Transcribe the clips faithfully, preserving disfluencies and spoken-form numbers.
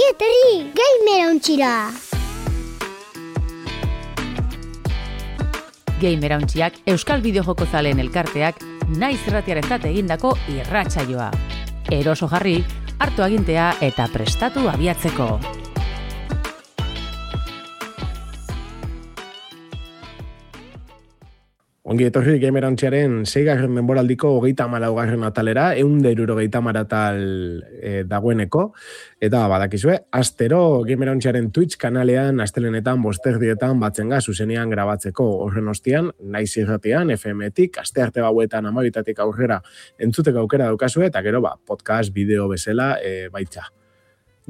Ongi etorri, Gamerauntxira! Gamerauntxiak Euskal Bideojoko zaleen elkarteak naiz irratiarentzat egindako irratsaioa. Eroso jarri, hartu agintea eta prestatu abiatzeko. Ongi etorri Gamerauntxiaren seigarren denboraldiko hogeita hamalaugarren atalera, ehun eta hirurogeita hamar atal e, dagoeneko, eta badakizue, astero Gamerauntxiaren Twitch kanalean astelenetan bosterdietan batzenga zuzenean grabatzeko horren ostian, naiz irratian, F M-tik, astearte gauetan amabitatik aurrera entzuteko aukera daukazue, eta gero ba, podcast, bideo bezala e, baitza.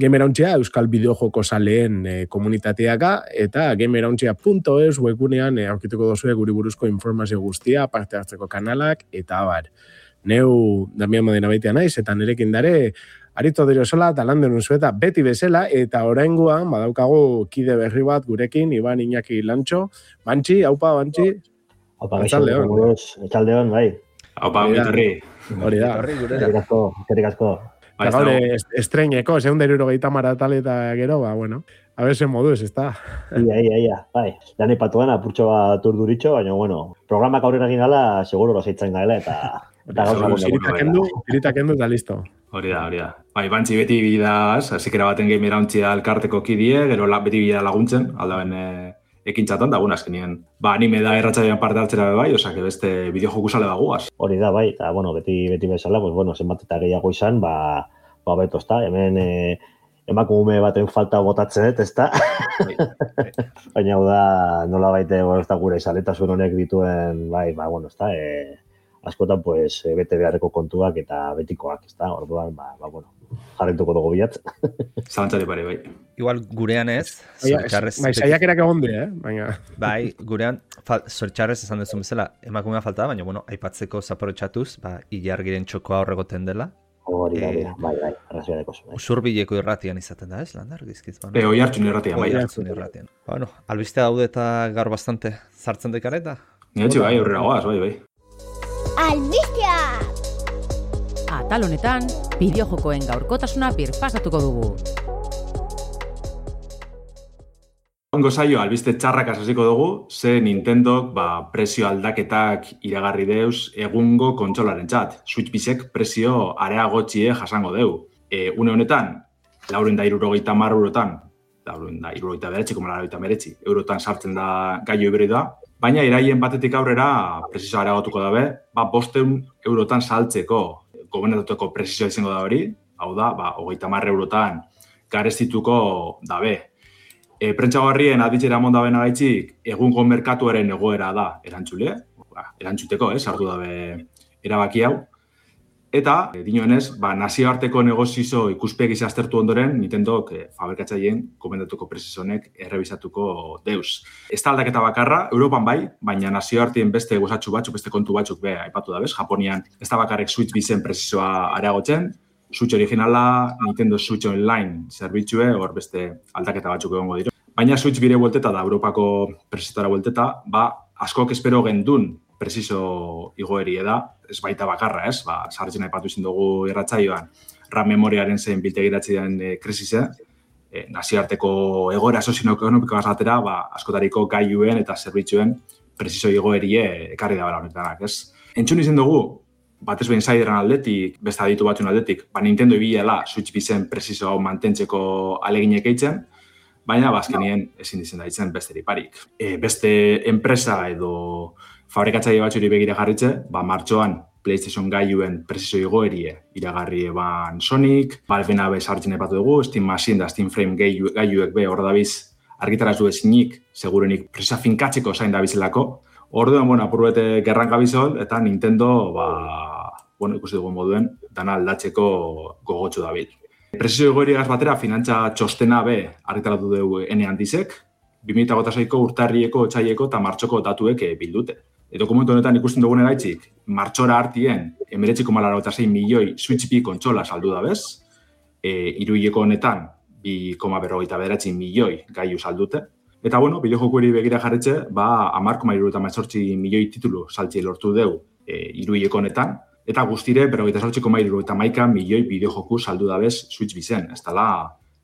Gamerauntxia Euskal Bideojoko zaleen e, komunitateaka eta gamerauntxia punto es webgunean e, aurkituko dozue guri buruzko informazio guztia, parte hartzeko kanalak eta abar. Neu Damian Modena baitea naiz eta nirekin dare Arito Diosola eta Lander Unzueta beti bezala eta oraingoan badaukagu kide berri bat gurekin, Iban Iñaki Lantxo. Bantxi, haupa, Bantxi. Haupa, gaixo, etxaldeon, bai. Haupa, miturri. Hori da. Kerik asko, kerik asko. Eta gaur estreineko, ehun eta hirurogeita hamar atal eta gero, ba, bueno, a ver, zen moduz, ez da. Ia, ia, ia, bai. Dani patuan apurtxo bat urduritxo, baina, bueno, programak aurrera egin gala, seguro roseitzen gaela, eta... eta gauza Iritakendu, iritakendu eta listo. Hori da, hori da. Bai, Bantxi beti bidaz, zikera baten Gamerauntxia elkarteko kidie, gero beti bidea laguntzen, aldaben ekintzatan, da, bueno, azkenien, ba, anime da erratxaioan parte hartzera bai, osea, que beste bideojoku sale baguaz. Hori da, bai, eta, bueno, beti beti bezala, pues, bueno, zenbat eta gehiago izan, ba, ba, beto, ezta, hemen e, emakume baten falta botatzen, ezta? Baina, hau da, nola baite, bueno, ezta gure izaletasun honek dituen, bai, ba, bueno, ezta, e, askotan, pues, bete beharreko kontuak eta betikoak, ezta? Orduan, ba, ba, bueno, jarrituko dugu bilatz. Zalantzari pare, bai. Igual gurean ez, zortxarrez... Bai, saiakerak egon die, eh? Baina... Bai, gurean, zortxarrez esan duzun bezala, emakumea falta, baina, bueno, aipatzeko zaporotxatuz, ba, ilargiren txokoa horregoten dela. Hori da, eh, bai, bai, arrazioneko zu. Usurbileko irratian izaten da, ez, Landar, gizkiz? Bueno, e, oi hartzun irratian, bai. Oi hartzun irratian. Bueno, albistea daude eta gaur bastante sartzen dekareta. Nire bai, horrela goaz, bai, bai. Albistea! Atal honetan, bideojokoen gaurkotasuna birpasatuko dugu. Ongo zaio, albiste txarrak hasiko dugu, ze Nintendok ba, prezio aldaketak iragarri deuz egungo kontsolaren txat. Switch bisek prezio areagotxie jasango deu. E, une honetan, lauren da irurogeita mar eurotan, lauren da irurogeita beretzi, koma laurogeita beretzi, eurotan sartzen da gaio hibridoa, baina iraien batetik aurrera prezio areagotuko dabe, ba, bosteun eurotan saltzeko gobernatuko prezioa izango da hori, hau da, ba, hogeita mar eurotan garestituko dabe. E, Prentsagarrien aditzera mondaben agaitzik, egungo merkatuaren egoera da erantzule, ba, erantzuteko, eh, sartu dabe erabaki hau. Eta, e, dinoenez, ba, nazioarteko negozizo ikuspegi aztertu ondoren, Nintendok e, fabrikatzaileen gomendatuko prezizonek errebisatuko deuz. Ez da aldaketa bakarra, Europan bai, baina nazioartien beste gozatxu batzuk, beste kontu batzuk be aipatu da bez. Japonian ez da bakarrek Switch bizen prezizoa areagotzen, Switch originala, Nintendo Switch Online zerbitzue, hor beste aldaketa batzuk egongo dira. Baina Switch bire buelteta da, Europako prezizotara buelteta, ba, askok espero gendun prezizo igoeri da, ez baita bakarra, ez? Ba, sartzen aipatu izin dugu irratsaioan, RAM memoriaren zein biltegiratzi den e, krisise, e, nazioarteko egoera sozioekonomikoa azatera, ba, askotariko gailuen eta zerbitzuen prezizo igoerie ekarri da bera honetanak, ez? Entzun izin dugu, batez behin zaideran aldetik, beste aditu batzun aldetik, ba, Nintendo ibilela Switch bizen prezizo hau mantentzeko aleginek eitzen, baina bazkenien ezin dizen daitzen beste parik. E, beste enpresa edo fabrikatzaile batzuri begira jarritze, ba, martxoan PlayStation gailuen prezizo igoerie iragarri eban Sonic, Valve-na be sartzen epatu dugu, Steam Machine da Steam Frame gailuek be hor dabiz argitarazu ezinik, segurenik prezioa finkatzeko zain dabizelako. Orduan, bueno, apurbete gerran gabizol, eta Nintendo, ba, bueno, ikusi dugu moduen, dana aldatzeko gogotxu dabil. Prezio igoeriagaz batera, finantza txostena be argitaratu dugu ene handizek, bi mila hogeita seiko urtarrieko, otsaileko eta martxoko datuek bildute. E, dokumentu honetan ikusten dugun eraitzik, martxora hartien, emeretzi koma laurogeita sei milioi Switch bi kontsola saldu da bez, e, iruileko honetan, bi koma berrogeita bederatzi milioi gaiu saldute. Eta, bueno, bideojokueri begira jarretxe, ba, hamar koma hirurogeita hemezortzi milioi titulu saltzi lortu deu e, iruileko honetan, eta guztire, berrogeita zortzi koma hirurogeita hamaika milioi bideojoku saldu da bez Switch bizen. Ez dela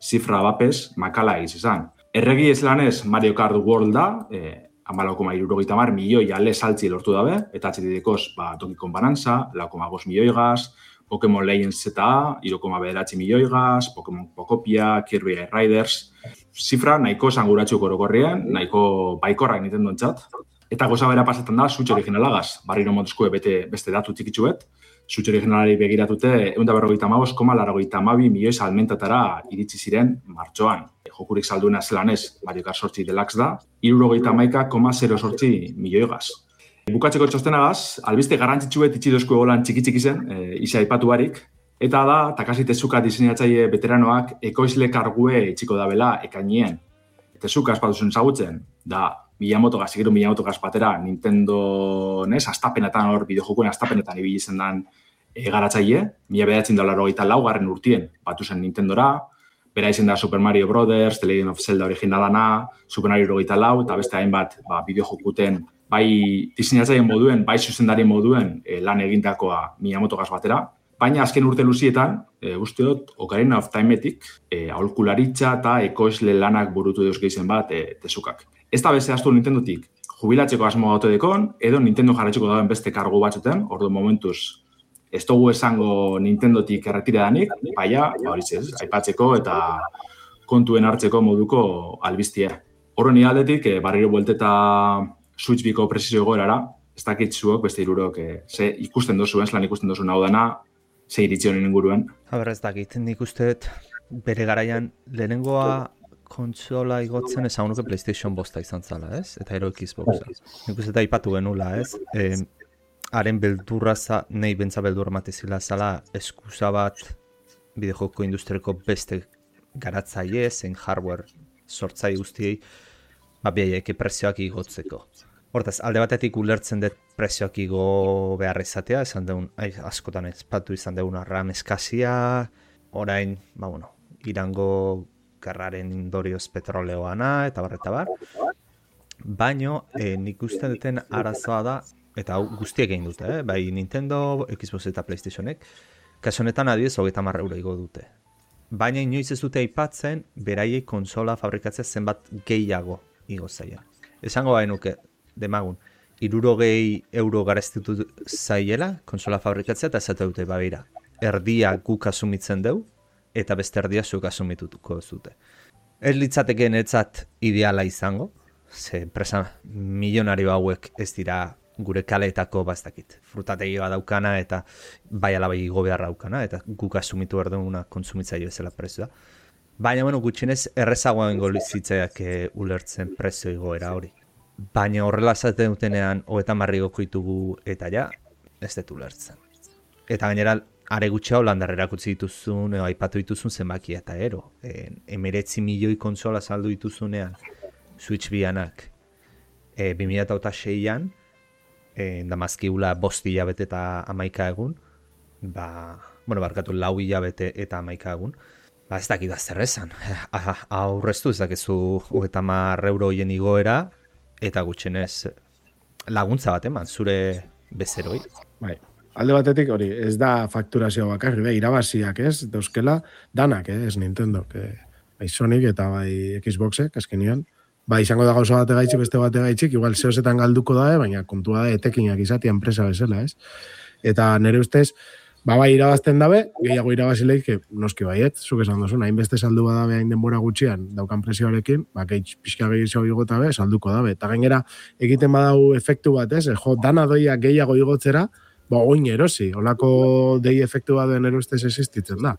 zifra bapez makala egiz izan. Erregi ez lanez Mario Kart World da, e, hamalau koma hirurogeita hamar milioi ale saltzi lortu dabe, eta H D D-koz ba, Donkey Kong Bonanza, lau koma bost milioi gaz, Pokemon Legends Z A, hiru koma bederatzi milioi gaz, Pokemon Pokopia, Kirby Air Riders, zifra nahiko esanguratsu orokorrean, nahiko baikorrak Nintendo entzat. Eta goza bera pasetan da, Switch originalagaz, barriro montuzkue bete beste datu txikitsuet, Switch originalari begiratute, ehun eta berrogeita hamabost koma laurogeita hamabi milioi salmentatara iritsi ziren martxoan. Jokurik salduena zelanez, Mario Kart zortzi Deluxe da, hirurogeita hamaika koma zero zortzi milioi gaz. Bukatzeko txostenagaz, albiste garrantzitsuet itxidozko egolan txiki-txiki zen, e, isa aipatu barik, eta da, Takashi Tezuka diseinatzaile veteranoak ekoizle kargue itxiko dabela ekainien. Tezuka espatuzun zagutzen, da Miyamoto gaz, gero Miyamoto gaz batera Nintendo, nes, astapenetan hor, bideojokuen astapenetan ibili zen dan e, garatzaile, mila bederatzen da laurogeita laugarren urtien batu zen Nintendora, bera izen da Super Mario Brothers, The Legend of Zelda originalana, Super Mario hogeita lau, eta beste hainbat ba, bideojokuten bai diseinatzaile moduen, bai zuzendari moduen e, lan egindakoa Miyamoto gaz batera, baina azken urte luzietan, e, uste dut, Ocarina of Timeetik, e, aholkularitza eta ekoizle lanak burutu deus gehizen bat e, Tezukak. Ez da beze astu Nintendotik jubilatzeko asmo gaute dekon, edo Nintendo jarretxeko dauen beste kargu batzuten, ordu momentuz ez dugu esango Nintendotik erretira danik, baina, ba hori ez, aipatzeko eta kontuen hartzeko moduko albiztie. Horren aldetik, e, barriro buelteta Switch biko presizio egoerara, ez dakit zuok, beste irurok, e, ze ikusten dozuen, zelan ikusten dozuen hau dana, ze iritzi honen inguruen. Haber ez dakit, nik usteet bere garaian lehenengoa kontsola igotzen esan nuke PlayStation bosta izan zala, ez? Eta ero Xboxa. Nik usteet aipatu genula, ez? E, haren beldurra, nahi bentza beldurra matezila zala eskusa bat bideojoko industriako beste garatzaile, zen hardware sortzai guztiei, ba biaiek prezioak igotzeko. Hortaz, alde batetik ulertzen dut prezioak igo behar izatea, esan deun, ai, askotan ezpatu izan deun RAM eskazia, orain, ba bueno, Irango gerraren indorioz petroleoana, eta bar, eta bar. Baino, eh, nik uste duten arazoa da, eta hau guztiek egin dute, eh? Bai Nintendo, Xbox eta PlayStationek, kasu honetan adibidez hogeita hamar euro igo dute. Baina inoiz ez dute aipatzen, beraiei konsola fabrikatzea zenbat gehiago igo zaia. Esango bai nuke, demagun, hirurogei euro garestitu zaiela konsola fabrikatzea, eta esate dute, babira, erdia guk asumitzen deu, eta beste erdia zuk asumitutuko zute. Ez litzateke netzat ideala izango, ze enpresa milionario hauek ez dira gure kaleetako bastakit. Frutategi bat daukana eta bai alabai igo behar daukana, eta guk asumitu behar duguna kontsumitzaile bezala prezioa. Baina, bueno, gutxinez errezagoa bengo lizitzaiak ulertzen prezio igoera hori. Baina horrela zaten dutenean hogeita hamar igoko ditugu eta ja, ez dut ulertzen. Eta gainera, are gutxea holandarrerak utzi dituzun, edo aipatu dituzun zenbaki eta ero. E, emeretzi milioi konsola saldu dituzunean, Switch bianak, e, bi mila seian, e, damazkiula bost hilabete eta hamaika egun, ba, bueno, barkatu lau hilabete eta hamaika egun, ba ez dakit da zer esan. Aurreztu ez dakizu hogeita hamar euro hien igoera, eta gutxenez laguntza bat eman, zure bezeroi. Bai. Alde batetik hori, ez da fakturazio bakarri, be, irabaziak ez, dauzkela danak, eh, ez Nintendo, que, bai Sonic eta bai Xboxek, azkenian. Ba, izango da gauza bate gaitxik, beste bate gaitxik, igual zehozetan galduko da, baina kontua da etekinak izatea enpresa bezala, ez? Eta nire ustez, ba, bai irabazten dabe, gehiago irabazileik, que noski baiet, zuk esan duzun, hainbeste saldu badabe hain denbora gutxian daukan presioarekin, ba, gehi pixka gehiago igota be, salduko dabe. Eta gainera, egiten badau efektu bat, ez? Jo, dana doia gehiago igotzera, ba, oin erosi, holako dei efektu bat den erostez existitzen da.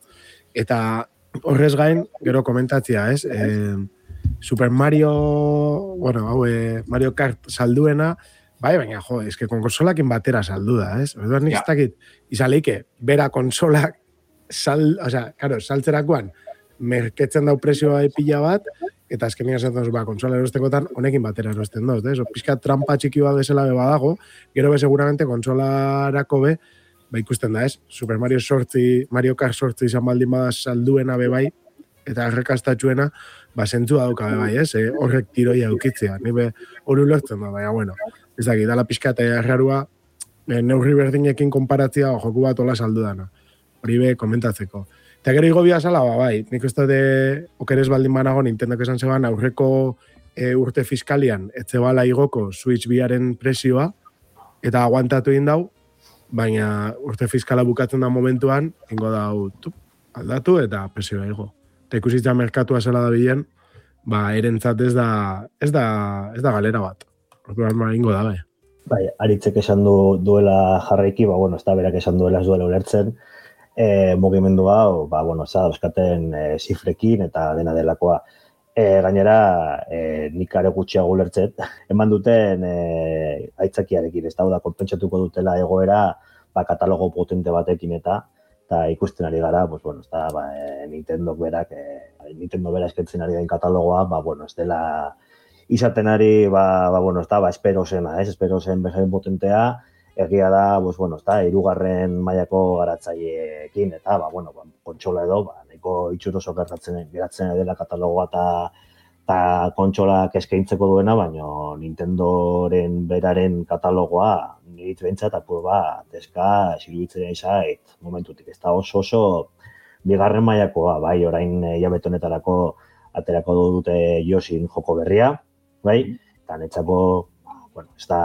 Eta horrez gain, gero komentatzia, ez? E, Super Mario, bueno, hau, e, Mario Kart salduena, bai, baina, jo, eske konsolakin batera saldu da, ez? Orduan nik ez dakit, izaleike, bera konsolak sal, o sea, claro, saltzerakoan, merketzen dau prezioa pila bat, eta azkenean esaten zu, ba, konsola erostekotan, honekin batera erosten doz, ez? Pizka trampa txiki bat bezala be badago, gero be seguramente konsolarako be, ba ikusten da, ez? Super Mario sortzi, Mario Kart sortzi izan baldin bada salduena be bai, eta errekastatxuena, ba, zentzua dauka be bai, ez? E, horrek tiroia eukitzea, nire hori ulertzen da, baina, bueno, ez dakit, dala pizka eta errarua, e, neurri berdinekin konparatzia, joku bat hola saldu dana. hori be komentatzeko. Eta gero igo biazala, ba, bai, nik uste de okeres baldin banago Nintendok esan zeban aurreko e, urte fiskalian etzebala igoko Switch biaren presioa, eta aguantatu egin dau, baina urte fiskala bukatzen da momentuan, ingo dau tup, aldatu eta presioa igo. Eta ikusitza merkatua zela da bilen, ba, erentzat ez da, ez da, ez da galera bat. Orduan ba, ingo da, bai. Bai, Aritzek esan du, duela jarraiki, ba, bueno, ez da berak esan duela ez duela ulertzen, e, mugimendu hau, ba, bueno, ez da, euskaten e, zifrekin eta dena delakoa. E, gainera, e, nik are gutxiago ulertzen, eman duten e, aitzakiarekin, ez da, konpentsatuko dutela egoera, ba, katalogo potente batekin eta, eta ikusten ari gara, pues, bueno, ez da, ba, e, Nintendo berak, e, Nintendo bera eskentzen ari den katalogoa, ba, bueno, ez dela, izaten ari, ba, ba, bueno, ez da, ba, espero zena, ez, espero zen bezain potentea, egia da, pues, bueno, ez da, hirugarren mailako garatzaileekin, eta, ba, bueno, ba, kontsola edo, ba, nahiko itxuroso gertatzen geratzen dela katalogoa eta eta kontsolak eskaintzeko duena, baina Nintendoren beraren katalogoa nirit behintzat apur bat, eska, esiruditzen izait, momentutik, ez da oso oso bigarren mailakoa, bai, orain hilabete honetarako aterako dute Yoshin joko berria, bai, eta netzako, bueno, ez da,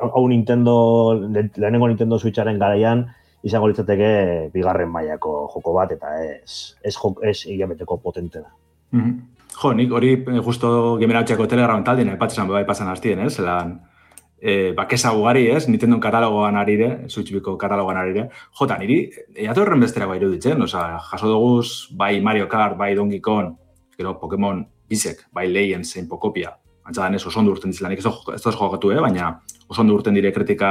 hau Nintendo, lehenengo Nintendo Switcharen garaian, izango litzateke bigarren mailako joko bat, eta ez, ez, ez hilabeteko potente da. Mm-hmm. Jo, nik hori justo Gameratxeko Telegram taldien, epatzesan bai pasan hastien, ez? Zelan, e, bakesa ugari, ez? Nintendo katalogoan arire, Switchbiko katalogoan arire. Jota, niri, eatu horren besterako iruditzen, oza, jaso duguz, bai Mario Kart, bai Donkey Kong, gero Pokemon Bisek, bai Legends, zein Pokopia, antzadan ez oso ondo urten dizilan, ez da jokatu, eh? Baina oso ondo urten dire kritika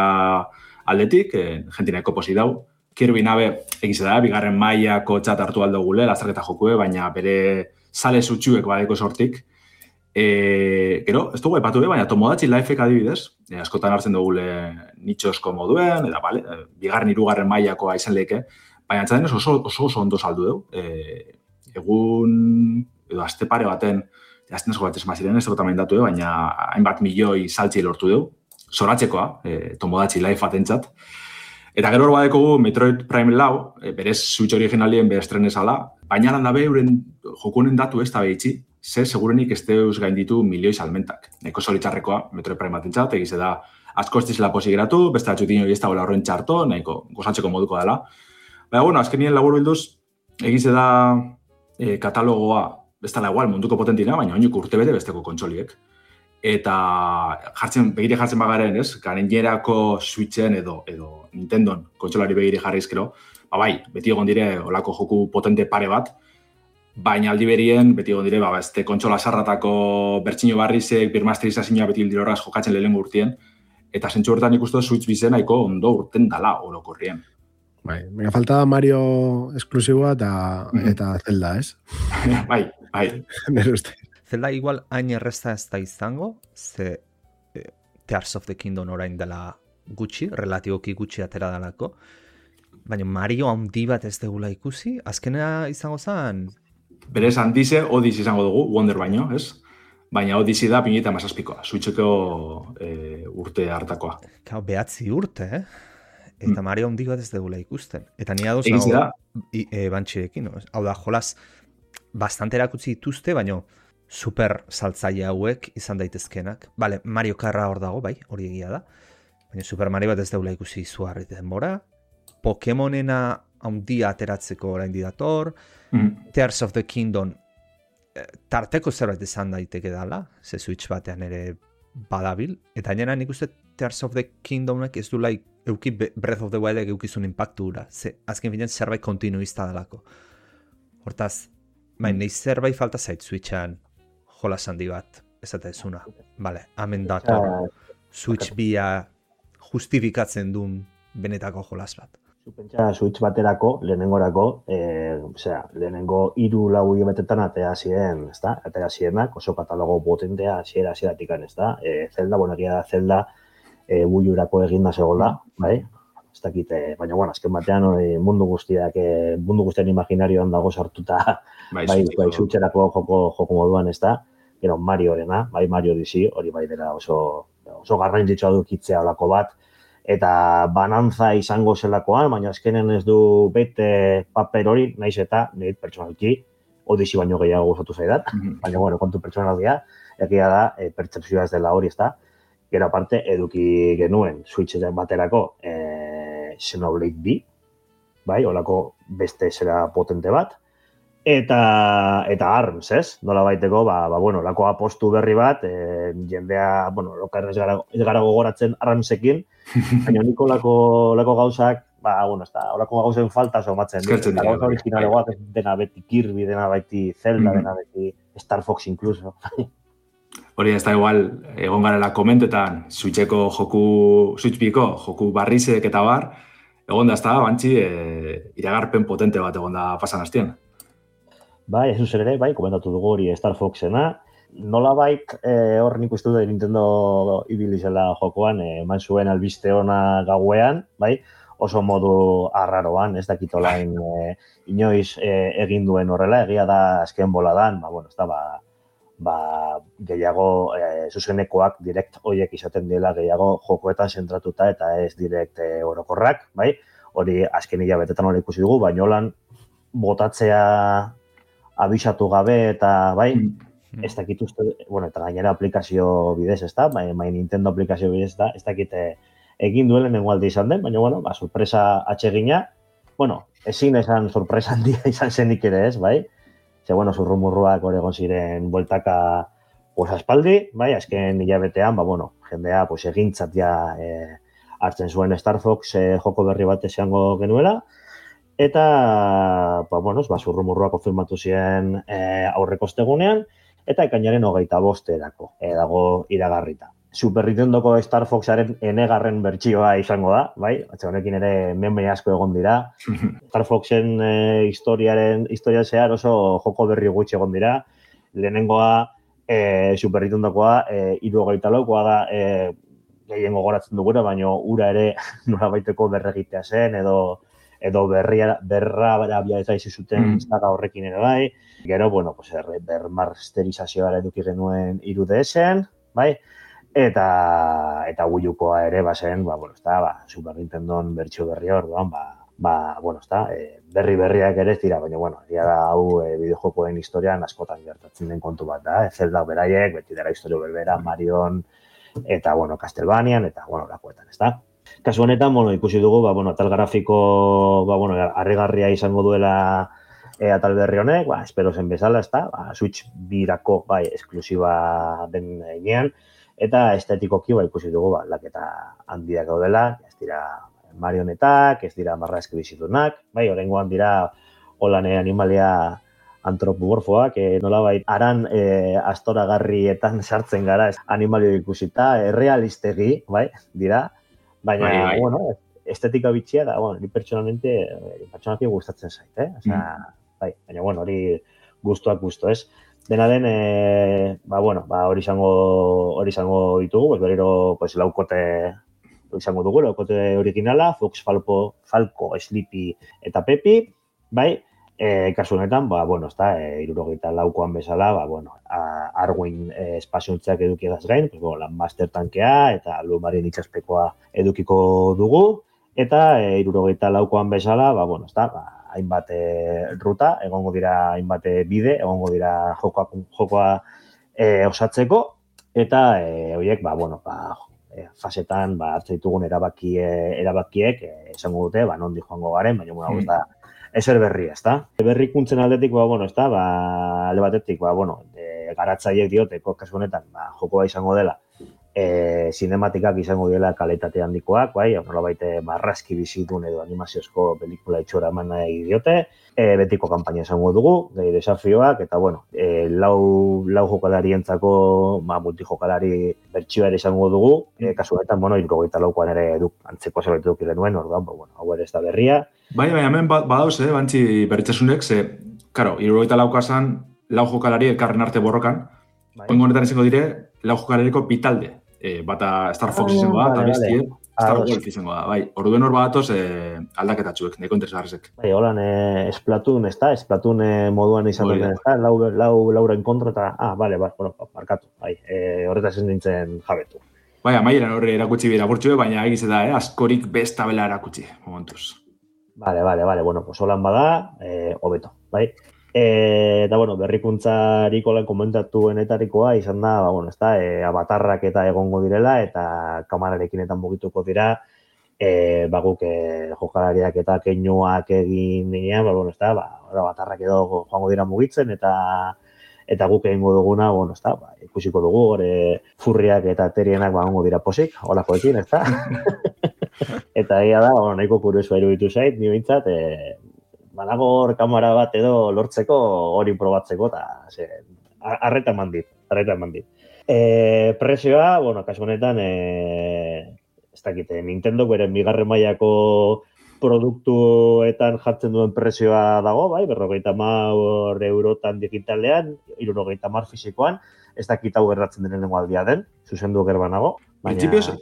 aldetik, eh, jentineko posi dau. Kirby nabe egiz da, bigarren mailako txat hartu aldo gule, lazarketa jokue, baina bere sale zutxuek badeko sortik. E, gero, ez dugu epatu, baina Tomodachi Lifek adibidez, e, askotan hartzen dugule nitxosko moduen, eta bale, bigarren hirugarren mailakoa izan leke, baina antzaden oso, oso oso ondo saldu dugu. E, egun, edo aste pare baten, jazten esko bat esma ziren, ez dugu tamen datu, baina hainbat milioi saltzi lortu dugu, zoratzekoa, e, Tomodachi Life atentzat. Eta gero hor badekogu Metroid Prime lau, e, berez Switch originalien bere estrenezala, baina lan dabe euren jokunen datu ez da behitzi, ze segurenik ez deus gainditu milioi salmentak. Neko solitzarrekoa Metroid Prime atentzat, egize da asko ez dizela posi geratu, beste atxutin hori ez da gola horren txarto, nahiko gozatzeko moduko dela. Baina, bueno, azkenien labur bilduz, egize da e, katalogoa, ez dela igual munduko potentina, baina oinuk urte bete besteko kontsoliek. Eta jartzen, begire jartzen bagaren, ez? Garenierako Switchen edo, edo Nintendon kontsolari begire jarrizkero, ba bai, beti egon dire olako joku potente pare bat, baina aldi berien, beti egon dire, ba, este kontsola sarratako bertxino barrizek, birmasterizazioa beti hildiro horraz jokatzen lehen urtien, eta zentsu horretan ikustu Switch bizen nahiko ondo urten dala orokorrien. Bai, mega falta Mario esklusiboa eta, mm. eta Zelda, ez? bai, bai. Nere uste. Zelda igual hain errezta ez da izango, ze e, Tears of the Kingdom orain dela gutxi, relatiboki gutxi atera dalako, baina Mario handi bat ez degula ikusi, azkenea izango zen? Berez handize, Odyssey izango dugu, Wonder baino, ez? Baina Odyssey da pinita mazazpikoa, Switcheko e, urte hartakoa. Kau, behatzi urte, eh? Eta mm. Mario handi bat ez degula ikusten. Eta ni adoz nago da? E, bantxirekin, no? Hau da, jolaz, bastante erakutsi dituzte, baina super saltzaile hauek izan daitezkenak. Bale, Mario Karra hor dago, bai, hori egia da. Baina Super Mario bat ez daula ikusi zuharri denbora. Pokemonena handia ateratzeko orain didator. Mm. Tears of the Kingdom tarteko zerbait izan daiteke dala, ze Switch batean ere badabil. Eta nena nik uste Tears of the Kingdomek ez du laik euki Breath of the Wildek eukizun impactura. Ze azken finean zerbait kontinuista dalako. Hortaz, baina mm. zerbait falta zait Switchan jolas handi bat, ez eta ezuna. Bale, hemen dator Switch bia justifikatzen duen benetako jolas bat. Pentsa Switch baterako, lehenengorako, eh, osea, lehenengo hiru lau hilabetetan atea ziren, ezta? Atea zirenak, oso katalogo potentea hasiera hasieratik an, ezta? Eh, Zelda, bueno, egia da Zelda eh builurako eginda zegola, bai? Ez dakit, eh, baina bueno, azken batean eh, mundu guztiak, eh, mundu guztien imaginarioan dago sartuta, bai, bai, bai Switcherako joko joko moduan, ezta? Gero Mariorena, bai Mario Odyssey, hori bai dela oso oso garrantzitsua du kitzea holako bat. eta banantza izango zelakoan, baina azkenen ez du bete paper hori, naiz eta nire pertsonalki Odisi baino gehiago gustatu zaidat, mm-hmm. baina bueno, kontu pertsonaldia, egia da, e, pertsepzioa ez dela hori, ezta? Gero aparte, eduki genuen Switch baterako e, Xenoblade B, bai, holako beste zera potente bat, eta eta ARMS, ez? Nola baiteko, ba, ba bueno, olako apostu berri bat, e, jendea, bueno, lokar ez gara, ez gara gogoratzen ARMSekin, baina niko olako, olako gauzak, ba, bueno, ez da, horako gauzen falta somatzen. Eskertzen dira. Gauza originalegoak dena beti Kirby, dena beti Zelda, mm. dena beti Star Fox incluso. Hori ez da igual, egon garela komentetan, Switcheko joku, Switch Biko joku barrizek eta bar, egon da ez da, bantzi, e, iragarpen potente bat egon da pasan hastien. Bai, ez zuzen ere, bai, komentatu dugu hori Star Foxena. Nola bait, eh, hor nik uste dut Nintendo ibilizela jokoan, eh, eman zuen albiste ona gauean, bai, oso modu arraroan, ez dakit olain e, inoiz e, egin duen horrela, egia da azken boladan, ba, bueno, ez da, ba, ba, gehiago e, zuzenekoak direkt hoiek izaten dela gehiago jokoetan zentratuta eta ez direkt e, orokorrak, bai? Hori azken hilabetetan hori ikusi dugu, baina holan botatzea abisatu gabe eta, bai, mm. ez dakit uste, bueno, eta gainera aplikazio bidez, ez da, bai, bai Nintendo aplikazio bidez, ez da, ez dakit egin duelen nengoalde izan den, baina, bueno, ba, sorpresa atsegina, bueno, ezin esan sorpresa handia izan zenik ere ez, bai? Ze, bueno, zurrumurruak hor egon ziren bueltaka pues, aspaldi, bai, azken hilabetean, ba, bueno, jendea, pues, egintzat ja e, hartzen zuen Star Fox e, joko berri bat esango genuela, eta, ba, bueno, ba, zurrumurruak konfirmatu ziren e, aurreko ostegunean, eta ekainaren hogeita bosterako e, dago iragarrita. Super Nintendoko Star Foxaren enegarren bertsioa izango da, bai? Atxe honekin ere meme asko egon dira. Star Foxen e, historiaren historia zehar oso joko berri gutxi egon dira. Lehenengoa e, Super Nintendokoa e, hirurogeita laukoa da e, gehien gogoratzen duguna, baina ura ere norabaiteko berregitea zen edo edo berria berra barabia ez aizu zuten mm. zaga horrekin ere bai. Gero, bueno, pues bermasterizazioa eduki genuen hiru D S-en, bai? Eta eta Wii U-koa ere bazen, ba bueno, está, ba Super Nintendon bertsio berri orduan, ba ba bueno, está, e, berri berriak ere ez dira, baina bueno, egia da hau e, bideojokoen historian askotan gertatzen den kontu bat da, Zelda beraiek, beti dela historia berbera, Marion eta bueno, Castlevanian eta bueno, lakoetan, ezta? Kasu honetan, bueno, ikusi dugu, ba bueno, atal grafiko, ba bueno, harrigarria izango duela e, atal berri honek, ba espero zen bezala, ezta? Ba Switch birako bai esklusiba den heinean. Eta estetikoki ba ikusi dugu ba aldaketa handiak gaudela, ez dira marionetak, ez dira marrazki bizitunak, bai, oraingoan dira holane animalia antropomorfoak, eh, nolabait aran eh, astoragarrietan sartzen gara, animalio ikusita, errealistegi, bai, dira, baina bai, bai. Bueno, estetika bitxia da, bueno, ni pertsonalmente pertsonalki gustatzen zait, eh? Osea, mm. bai, baina bueno, hori gustuak gustu, ez? Dena den, e, ba, bueno, ba, hori izango, hori izango ditugu, pues, berriro, pues, laukote izango dugu, laukote originala, Fox, Falco, Falco, Sleepy eta Pepi, bai, e, kasu honetan, ba, bueno, ez da, e, hirurogeita laukoan bezala, ba, bueno, a, Arwin e, espaziontzeak edukiagaz gain, pues, bueno, Landmaster tankea eta Lumarien itxaspekoa edukiko dugu, eta e, hirurogeita laukoan bezala, ba, bueno, ez da, ba, hainbat e, ruta, egongo dira hainbat bide, egongo dira jokoa, jokoa e, osatzeko, eta e, horiek, ba, bueno, ba, e, fasetan ba, hartzen ditugun erabaki, e, erabakiek e, esango dute, ba, nondi joango garen, baina bueno, mm. da, ezer berria, ezta? Berrikuntzen aldetik, ba, bueno, ezta, ba, alde batetik, ba, bueno, e, garatzaileek dioteko kasu honetan, ba, jokoa izango dela, E, sinematikak izango dela kalitate handikoak, bai, nolabait marrazki bizitun edo animaziozko pelikula itxora eman nahi diote, e, betiko kanpaina izango dugu, gehi desafioak, eta bueno, e, lau, lau jokalarientzako, ba, multijokalari bertsioa ere izango dugu, e, kasu honetan, bueno, hirurogeita laukoan ere duk, antzeko zerbait duk genuen, orduan, ba, bueno, hau ere ez da berria. Bai, bai, hemen badauz, eh, bantzi berritzesunek, ze, karo, hirurogeita laukoa zan, lau jokalari elkarren arte borrokan, bai. Oingo honetan izango dire, lau jokalariko pitalde. E, bata Star Fox oh, izango da, eta bestie, Star Wolf izango da, bai, orduen hor badatoz e, aldaketatxuek, neko interesgarrizek. Bai, holan, e, Splatoon, ez da, Splatoon e, moduan izan duten, ez da, lau, lau, lauren kontra, eta, ah, bale, bai, bueno, markatu, bai, e, horretaz ez nintzen jabetu. Bai, amaieran horre erakutsi bera burtxue, baina egiz da, eh? Askorik bestabela erakutsi, momentuz. Vale, vale, vale, bueno, pues holan bada, eh, hobeto, bai? E, eta, bueno, berrikuntzariko lan komentatuenetarikoa izan da, ba, bueno, ez da, e, abatarrak eta egongo direla, eta kamararekin eta mugituko dira, e, ba, guk e, jokalariak eta keinuak egin nirean, ba, bueno, ez da, ba, abatarrak edo joango dira mugitzen, eta eta guk egingo duguna, bueno, ez da, ba, ikusiko dugu, gore furriak eta terienak ba, ongo dira posik, holakoekin, ez da? Eta egia da, bueno, nahiko kuriosua iruditu zait, ni behintzat, e, banago hor kamera bat edo lortzeko hori probatzeko, eta arreta eman dit, arreta eman dit. E, presioa, bueno, kasu honetan, e, ez dakite, Nintendo beren bigarren mailako produktuetan jartzen duen presioa dago, bai, berrogeita hamar eurotan digitalean, hirurogeita hamar fisikoan, ez dakit hau gerratzen den lehenengo aldia den, zuzendu gerbanago. Baina... Principios,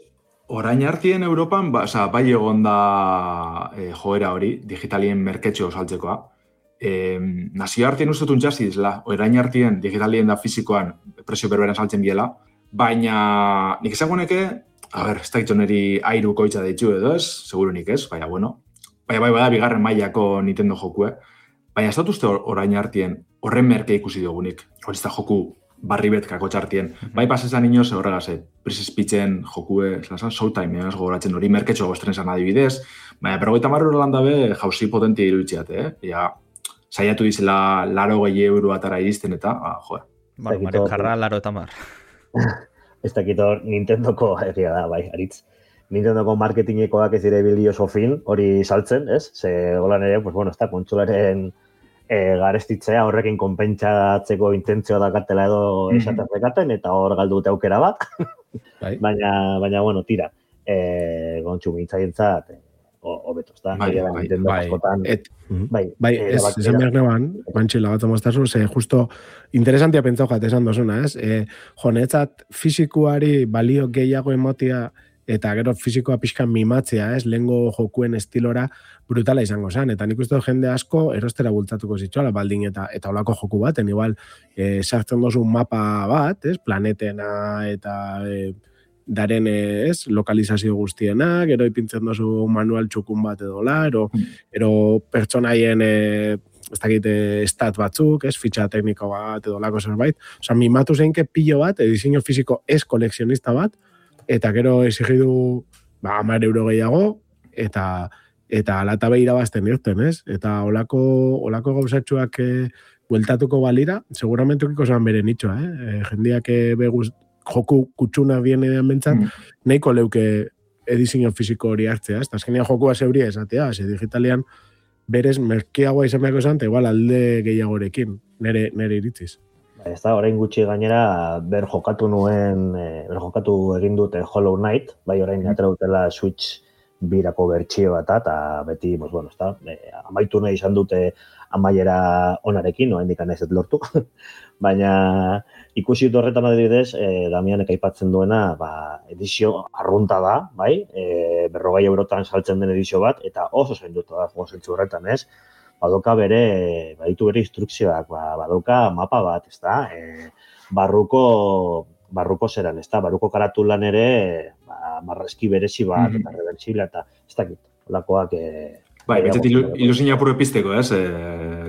orain hartien Europan, ba, oza, bai egon da e, joera hori, digitalien merketxo saltzekoa. E, nazio hartien ustutun jazizla, orain hartien digitalien da fizikoan presio berberan saltzen biela, baina nik ezaguneke, a ber, ez dakit neri airuko itxa deitxu edo ez, seguro nik ez, baina bueno, baina bai bada bigarren mailako Nintendo jokue, baina ez dut uste orain hartien horren merke ikusi dugunik, hori ez da joku barri betkako txartien. Mm-hmm. Bai pasezan inoz horregase, Princess Peachen jokue, zelasan, Showtime, ez gogoratzen hori merketxo goztren zan adibidez, baina berrogeita marro lan dabe jauzi potentia iruditziat, eh? Ja, saiatu dizela laro gehi euro atara iristen eta, ah, joe. Bueno, Mario Karra, laro eta mar. Ez dakito Nintendoko, egia da, bai, aritz. Nintendoko marketingekoak ez dire bildi oso fin, hori saltzen, ez? Ze, holan ere, pues, bueno, ez da, kontsolaren e, garestitzea horrekin konpentsatzeko intentzioa dakatela edo esaten dekaten, eta hor galdu dute aukera bat. Bai. baina, baina, bueno, tira, e, gontxu mintzaientzat, hobeto, ez da? Bai, bai, Nintendo bai, askotan, et, bai, bai, e, ez, esan behar neban, bantxila bat amaztazu, ze justo interesantia pentsau jat esan dozuna, ez? E, jonetzat fizikuari balio gehiago emotia eta gero fizikoa pixkan mimatzea, ez? Lehengo jokuen estilora brutala izango zen, eta nik uste jende asko erostera bultzatuko zitxoala, baldin eta eta olako joku baten, igual, e, sartzen dozu mapa bat, ez? Planetena eta... E, daren ez, lokalizazio guztiena, gero ipintzen dozu manual txukun bat edola, ero, ero pertsonaien e, ez dakit, stat batzuk, ez, fitxa tekniko bat edolako zerbait. Osa, mimatu zeinke pilo bat, edizio fiziko ez kolekzionista bat, eta gero exigidu ba, hamar euro gehiago, eta eta alata behira bazten irten, ez? Eta olako, olako gauzatxuak e, bueltatuko balira, seguramente ukiko zan bere nitxoa, eh? E, jendiak e, beguz joku kutsuna bien edean bentzat, mm. nahiko leuke edizio fiziko hori hartzea, ez? Azkenean jokua zeuria esatea, ze digitalean berez merkeagoa izan behako esan, eta igual alde gehiagorekin, nere, nere iritziz. Ez da, orain gutxi gainera, ber jokatu nuen, ber jokatu egin dute Hollow Knight, bai orain mm. atera dutela Switch birako bertxio bat, eta beti, pues, bueno, ez da, amaitu nahi izan dute amaiera onarekin, no, hendikan ez lortu, baina ikusi dut horretan adibidez, eh, Damianek aipatzen duena, ba, edizio arrunta da, bai, eh, berrogei eurotan saltzen den edizio bat, eta oso zainduta da, gozentzu horretan, ez? Badoka bere, baditu bere instrukzioak, ba, badoka mapa bat, ez da? E, barruko, barruko zeran, ez da? Barruko karatulan ere, ba, marrazki berezi bat, mm-hmm. eta reversibla, eta ez dakit, olakoak... E, bai, betxet ilusin apuro epizteko, ez? E,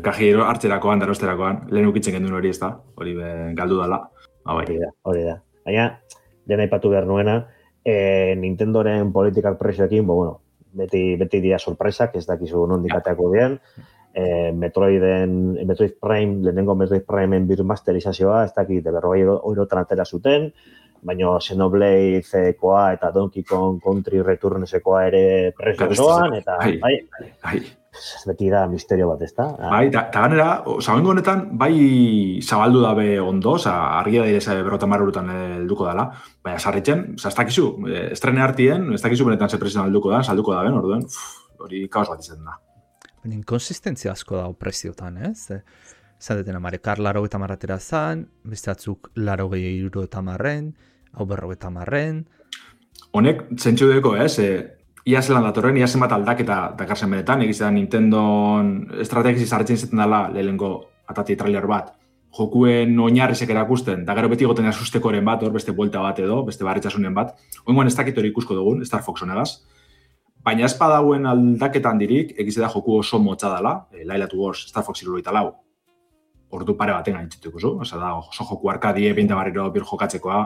kajero hartzerakoan, darosterakoan, lehen ukitzen gendun hori, ez da? Hori be, galdu dala. Ah, bai. Hori da, hori da. Baina, dena ipatu behar nuena, e, Nintendoren politikak presioekin, bo, bueno, beti, beti dia sorpresak, ez dakizu nondikateako dian, e, Metroiden, Metroid Prime, lehenengo Metroid Primeen birmasterizazioa, ez dakit, berrogei eurotan atera zuten, baina Xenoblade-ekoa eta Donkey Kong Country Returns-ekoa ere presio doan, eta ai, bai, ai. beti da misterio bat, ez da? Bai, eta ganera, zagoengo honetan, bai zabaldu dabe ondo, oza, argia da ireza berrota marrurutan helduko dela, baina sarritzen, oza, ez dakizu, estrene hartien, ez dakizu benetan ze presio helduko da, salduko daben, orduen, hori kaos bat izan da. Inkonsistentzia asko da preziotan, ez? Zaten amare, kar laro eta marratera zan, beste atzuk laro gehi euro eta marren, hau berro eta marren. Honek, zentsu deko, ez? E, ia zelan datorren, ia zenbat aldaketa dakarzen benetan, egiz da Nintendon estrategiz zarretzen zeten dela lehenko atati trailer bat. jokuen oinarrizek erakusten, da gero beti goten asustekoren bat, hor beste buelta bat edo, beste barritxasunen bat. Oingoan ez dakit hori ikusko dugun, Star Fox honegaz. Baina ez padauen aldaketan dirik, egiz da joku oso motza dela, e, Laila to Wars, Star Fox hirurogeita lau. Ordu pare baten gaintzitu ikusu, oza da, oso joku arkadie, pinta barriro bir jokatzekoa,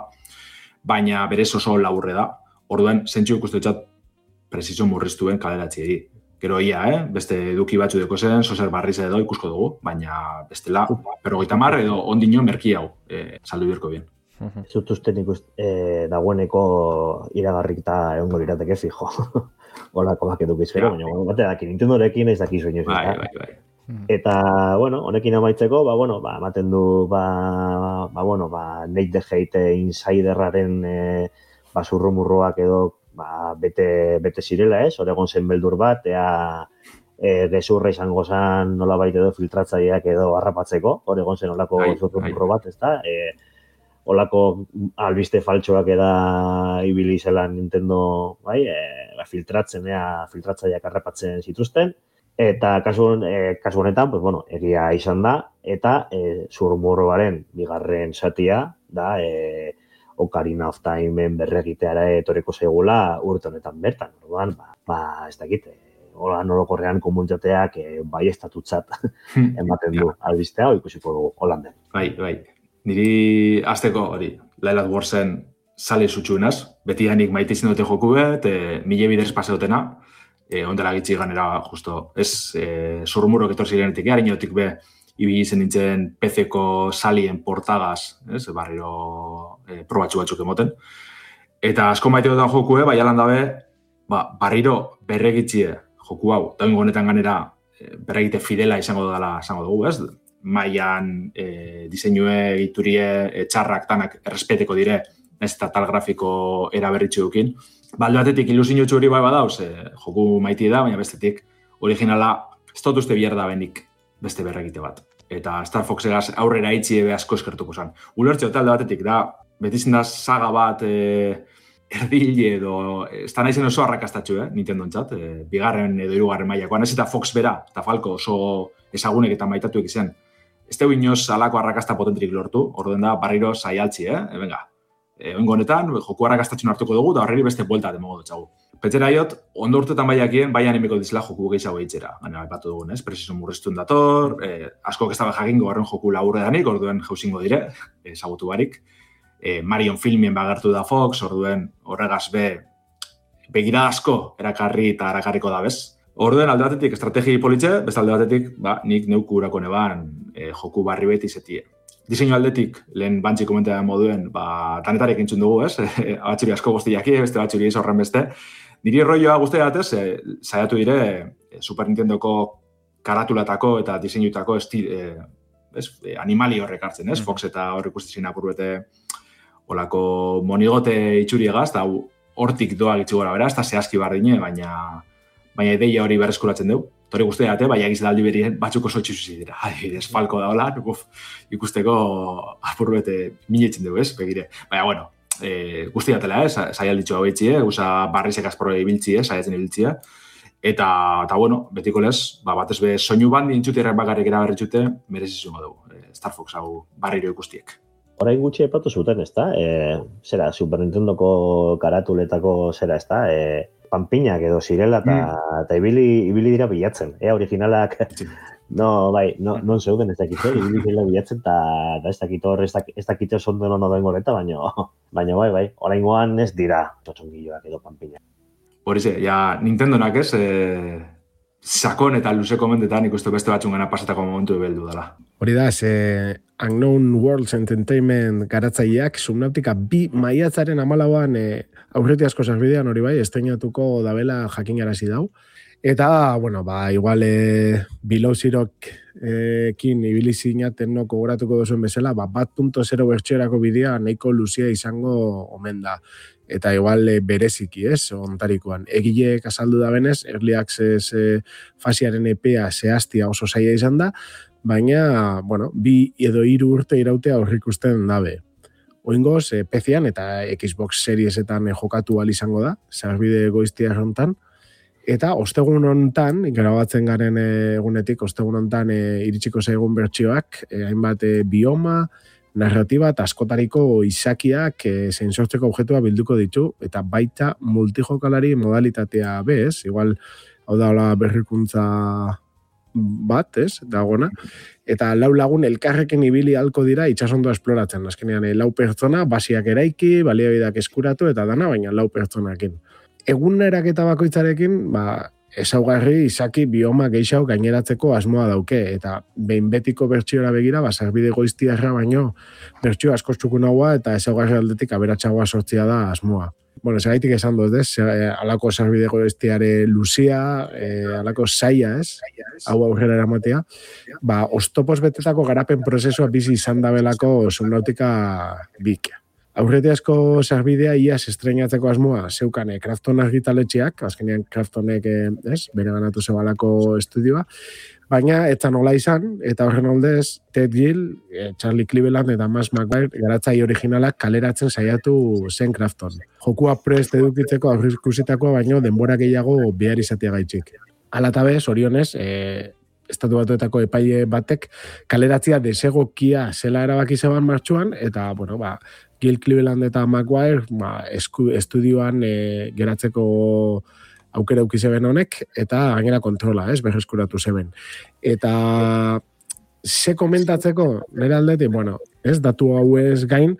baina berez oso laburre da. Orduan, zentxu ikustu etxat, presizio murriztuen kaleratziei. Gero ia, eh? Beste eduki batzu deko zen, sozer barriz edo ikusko dugu, baina bestela, berrogeita mar edo ondino merki hau, eh, saldu birko bien. Ez dut uste nik eh, dagoeneko iragarrik eta egongo lirateke fijo. Olako bak edukiz, pero, baina, bate daki, Nintendorekin ez daki soinu. Bai, bai, bai. Eta, bueno, honekin amaitzeko, ba, bueno, ba, ematen du, ba, ba, bueno, ba, Nate the Hate Insiderraren eh, ba, zurrumurruak edo ba, bete, bete zirela, ez? Hor egon zen beldur bat, ea e, gezurra izango zen nolabait edo filtratzaileak edo harrapatzeko, hor egon zen olako zurrumurro bat, ez da? E, olako albiste faltsoak eda ibili zela Nintendo, bai, e, ba, filtratzen, ea filtratzaileak harrapatzen zituzten, eta kasu, e, kasu honetan, pues, bueno, egia izan da, eta e, zurrumurroaren bigarren zatia da, e, Ocarina of Timeen berregiteara etorriko zaigula urte honetan bertan. Orduan, ba, ba ez dakit, hola nolokorrean komunitateak e, bai estatutzat ematen du albistea, ikusiko dugu Holanden. Bai, bai. Niri azteko hori, Laila Warsen sale zutxuenaz, beti hanik maite izin dute joku bet, e, mile biderez pase dutena, e, ondela gitzi ganera, justo, ez, e, zurrumurrok etor zirenetik, harinotik be, ibili zen nintzen P C-ko salien portagaz, ez, barriro e, probatxu batzuk emoten. Eta asko maite dutan jokue, bai alan dabe, ba, barriro berregitzie joku hau, daungo honetan ganera e, berregite fidela izango dela izango dugu, ez? Maian e, diseinue, egiturie, e, txarrak, tanak errespeteko dire, ez eta tal grafiko eraberritxu dukin. Balde batetik ilusinio txuri bai badauz, e, joku maitie da, baina bestetik originala ez dut uste bier da benik beste berregite bat. Eta Star Foxegaz aurrera itxi ebe asko eskertuko zen. Ulertxeo talde batetik da, betizien da saga bat e, erdile edo, ez da naizen oso arrakastatxu, eh, Nintendo entzat, e, bigarren edo hirugarren mailakoan, ez eta Fox bera, eta Falco oso ezagunek eta maitatuek izan. Ez teu inoz alako arrakasta potentrik lortu, orduen da barriro saialtzi, eh, e, venga. E, Oingo honetan, joku arrakastatxun hartuko dugu, da horreri beste buelta demogo dutxagu. Petzera iot, ondo urtetan baiakien, bai animeko dizela joku gehiago eitzera. Baina, epatu dugun, ez? Presizo murriztun dator, eh, asko ez da jakingo horren joku laburre danik, orduen jauzingo dire, ezagutu barik. Eh, Marion filmien bagertu da Fox, orduen horregaz be, begira asko erakarri eta erakarriko da, bez? Orduen alde batetik estrategi politxe, beste alde batetik, ba, nik neuku urako neban eh, joku barri beti izetie. Diseinu aldetik, lehen bantzi komentea moduen, ba, tanetarek entzun dugu, ez? Batxuri asko guztiaki, beste batxuri ez horren beste. Niri rolloa guztia datez, e, saiatu dire e, Super Nintendoko karatulatako eta diseinutako esti, e, e, animali horrek hartzen, ez? Fox eta horrek ustezin apurbete olako monigote itxuriegaz, eta hortik doa gitzu gora beraz, eta zehazki bardine, baina, baina ideia hori berreskuratzen dugu. Hori guztia date, baina egiz daldi berien batzuk oso txuzi dira. Adibidez, Falco da hola, ikusteko apurbete minetzen dugu, ez? Begire. Baina, bueno, e, guztia datela, ez? Zaialditxo hau eitzi, eh? Usa barrizek azporo ibiltzi, eh? Zaiatzen ibiltzia. Eta, eta, bueno, betiko lez, ba, batez be, soinu bandi intxutirrek bakarrik eraberritxute, merezizungo dugu, e, Star Fox hau barriro ikustiek. Orain gutxi epatu zuten, ez da? E, zera, Super Nintendoko karatuletako zera, ez da? E, panpinak edo zirela eta mm. ibili, ibili dira bilatzen. Ea originalak, no, bai, no, non zeuden ez dakit, ibili dira bilatzen eta da ez dakit hor, ez dakit oso ondo nono den goreta, baina, baina bai, bai, orain goan ez dira txotxongilloak edo panpinak. Horize, ja, Nintendonak ez, e, sakon eta luzeko mendetan ikustu beste batzungana pasatako momentu ebeldu dela. Hori da, ze Unknown Worlds Entertainment garatzaileak Subnautica bi maiatzaren amalauan e, aurreti asko sarbidean hori bai, esteinatuko dabela jakinarazi dau. Eta, bueno, ba, igual e, Below Zerok e, kin ibili zinaten no kogoratuko duzuen bezala, ba, bat punto zero bertxerako bidea nahiko luzia izango omen da. Eta igual e, bereziki, ez, ontarikoan. Egileek azaldu da benez, Early Access e, fasiaren epea zehaztia oso zaila izan da, baina, bueno, bi edo hiru urte irautea aurrikusten dabe. Oingoz, e, P C-an eta Xbox Seriesetan e, jokatu al izango da, zerbide goiztia errontan, Eta ostegun hontan, grabatzen garen egunetik, ostegun hontan e, iritsiko zaigun bertsioak, e, hainbat e, bioma, narratiba eta askotariko izakiak e, zein sortzeko objektua bilduko ditu, eta baita multijokalari modalitatea bez, igual, hau da hola berrikuntza bat, ez, dagoena, eta lau lagun elkarrekin ibili halko dira itxasondoa esploratzen, azkenean e, lau pertsona, basiak eraiki, baliabideak eskuratu, eta dana, baina lau pertsonakin. Egun eraketa bakoitzarekin, ba, ezaugarri izaki bioma gehiago gaineratzeko asmoa dauke, eta behin betiko bertsiora begira, ba, sarbide goiztiarra baino, bertsio asko txukunagoa eta ezaugarri aldetik aberatsagoa sortzia da asmoa. Bueno, segaitik esan dut, ez? Alako sarbide goiztiare luzia, eh, alako saia, ez? Hau aurrera eramatea. Ba, oztopoz betetako garapen prozesua bizi izan dabelako Subnautica bik. Aurretiazko sarbidea iaz estreinatzeko asmoa zeukan Krafton argitaletxeak, azkenean Kraftonek ez, bere ganatu zebalako estudioa, baina etzan hola izan, eta horren oldez, Ted Gill, Charlie Cleveland eta Max McGuire garatzai originalak kaleratzen saiatu zen Krafton. Jokua prest edukitzeko aurrikusitakoa baino denbora gehiago behar izatea gaitxik. Hala eta bez, orionez, e, estatu batuetako epaile batek kaleratzia desegokia zela erabaki zeban martxuan, eta, bueno, ba, Gil Cleveland eta Maguire ba, esku, estudioan e, geratzeko aukera auki zeben honek, eta gainera kontrola, ez, berreskuratu zeben. Eta ze komentatzeko, nire aldetik, bueno, ez, datu hau ez gain,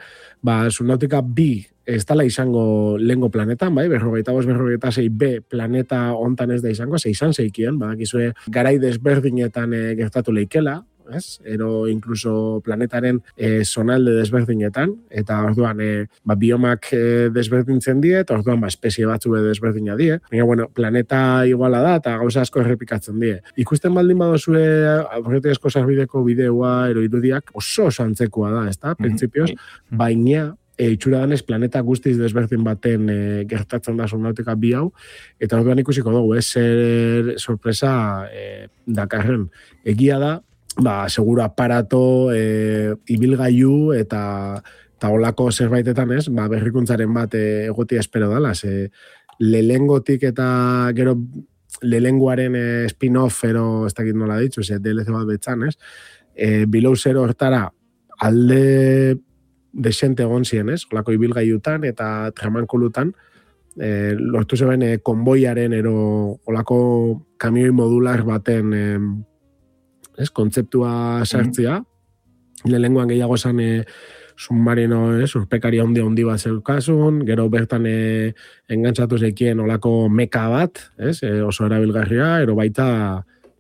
ba, Subnautica bi ez dala izango lehengo planetan, bai, berrogeita bost, berrogeita sei B planeta hontan ez da izango, ze izan zeikien, badakizue garai desberdinetan e, gertatu leikela, ez? Ero incluso planetaren e, zonalde desberdinetan, eta orduan e, ba, biomak e, desberdintzen die, eta orduan ba, espezie batzu desberdina die. Baina, bueno, planeta iguala da, eta gauza asko errepikatzen die. Ikusten baldin badozue aurretik asko sarbideko bideoa, ero irudiak, oso oso antzekoa da, ez da, printzipioz, baina e, itxura danez planeta guztiz desberdin baten e, gertatzen da Subnautica bi hau, eta orduan ikusiko dugu, ez zer sorpresa e, dakarren. Egia da, ba, seguro aparato, e, ibilgailu eta eta olako zerbaitetan, ez, ba, berrikuntzaren bat e, egotia espero dala, ze lehengotik eta gero lehenguaren e, spin-off, ero ez dakit nola ditzu, ze D L C bat betzan, ez, e, Below Zero hortara alde desente egon ziren, ez, olako ibilgailutan eta tramankulutan, e, lortu zeben e, konboiaren ero olako kamioi modular baten e, ez, kontzeptua sartzea, mm-hmm. lehenguan gehiago esan e, submarino, ez, urpekaria handi handi bat zeukasun, gero bertan e, engantzatu zekien olako meka bat, ez, e, oso erabilgarria, ero baita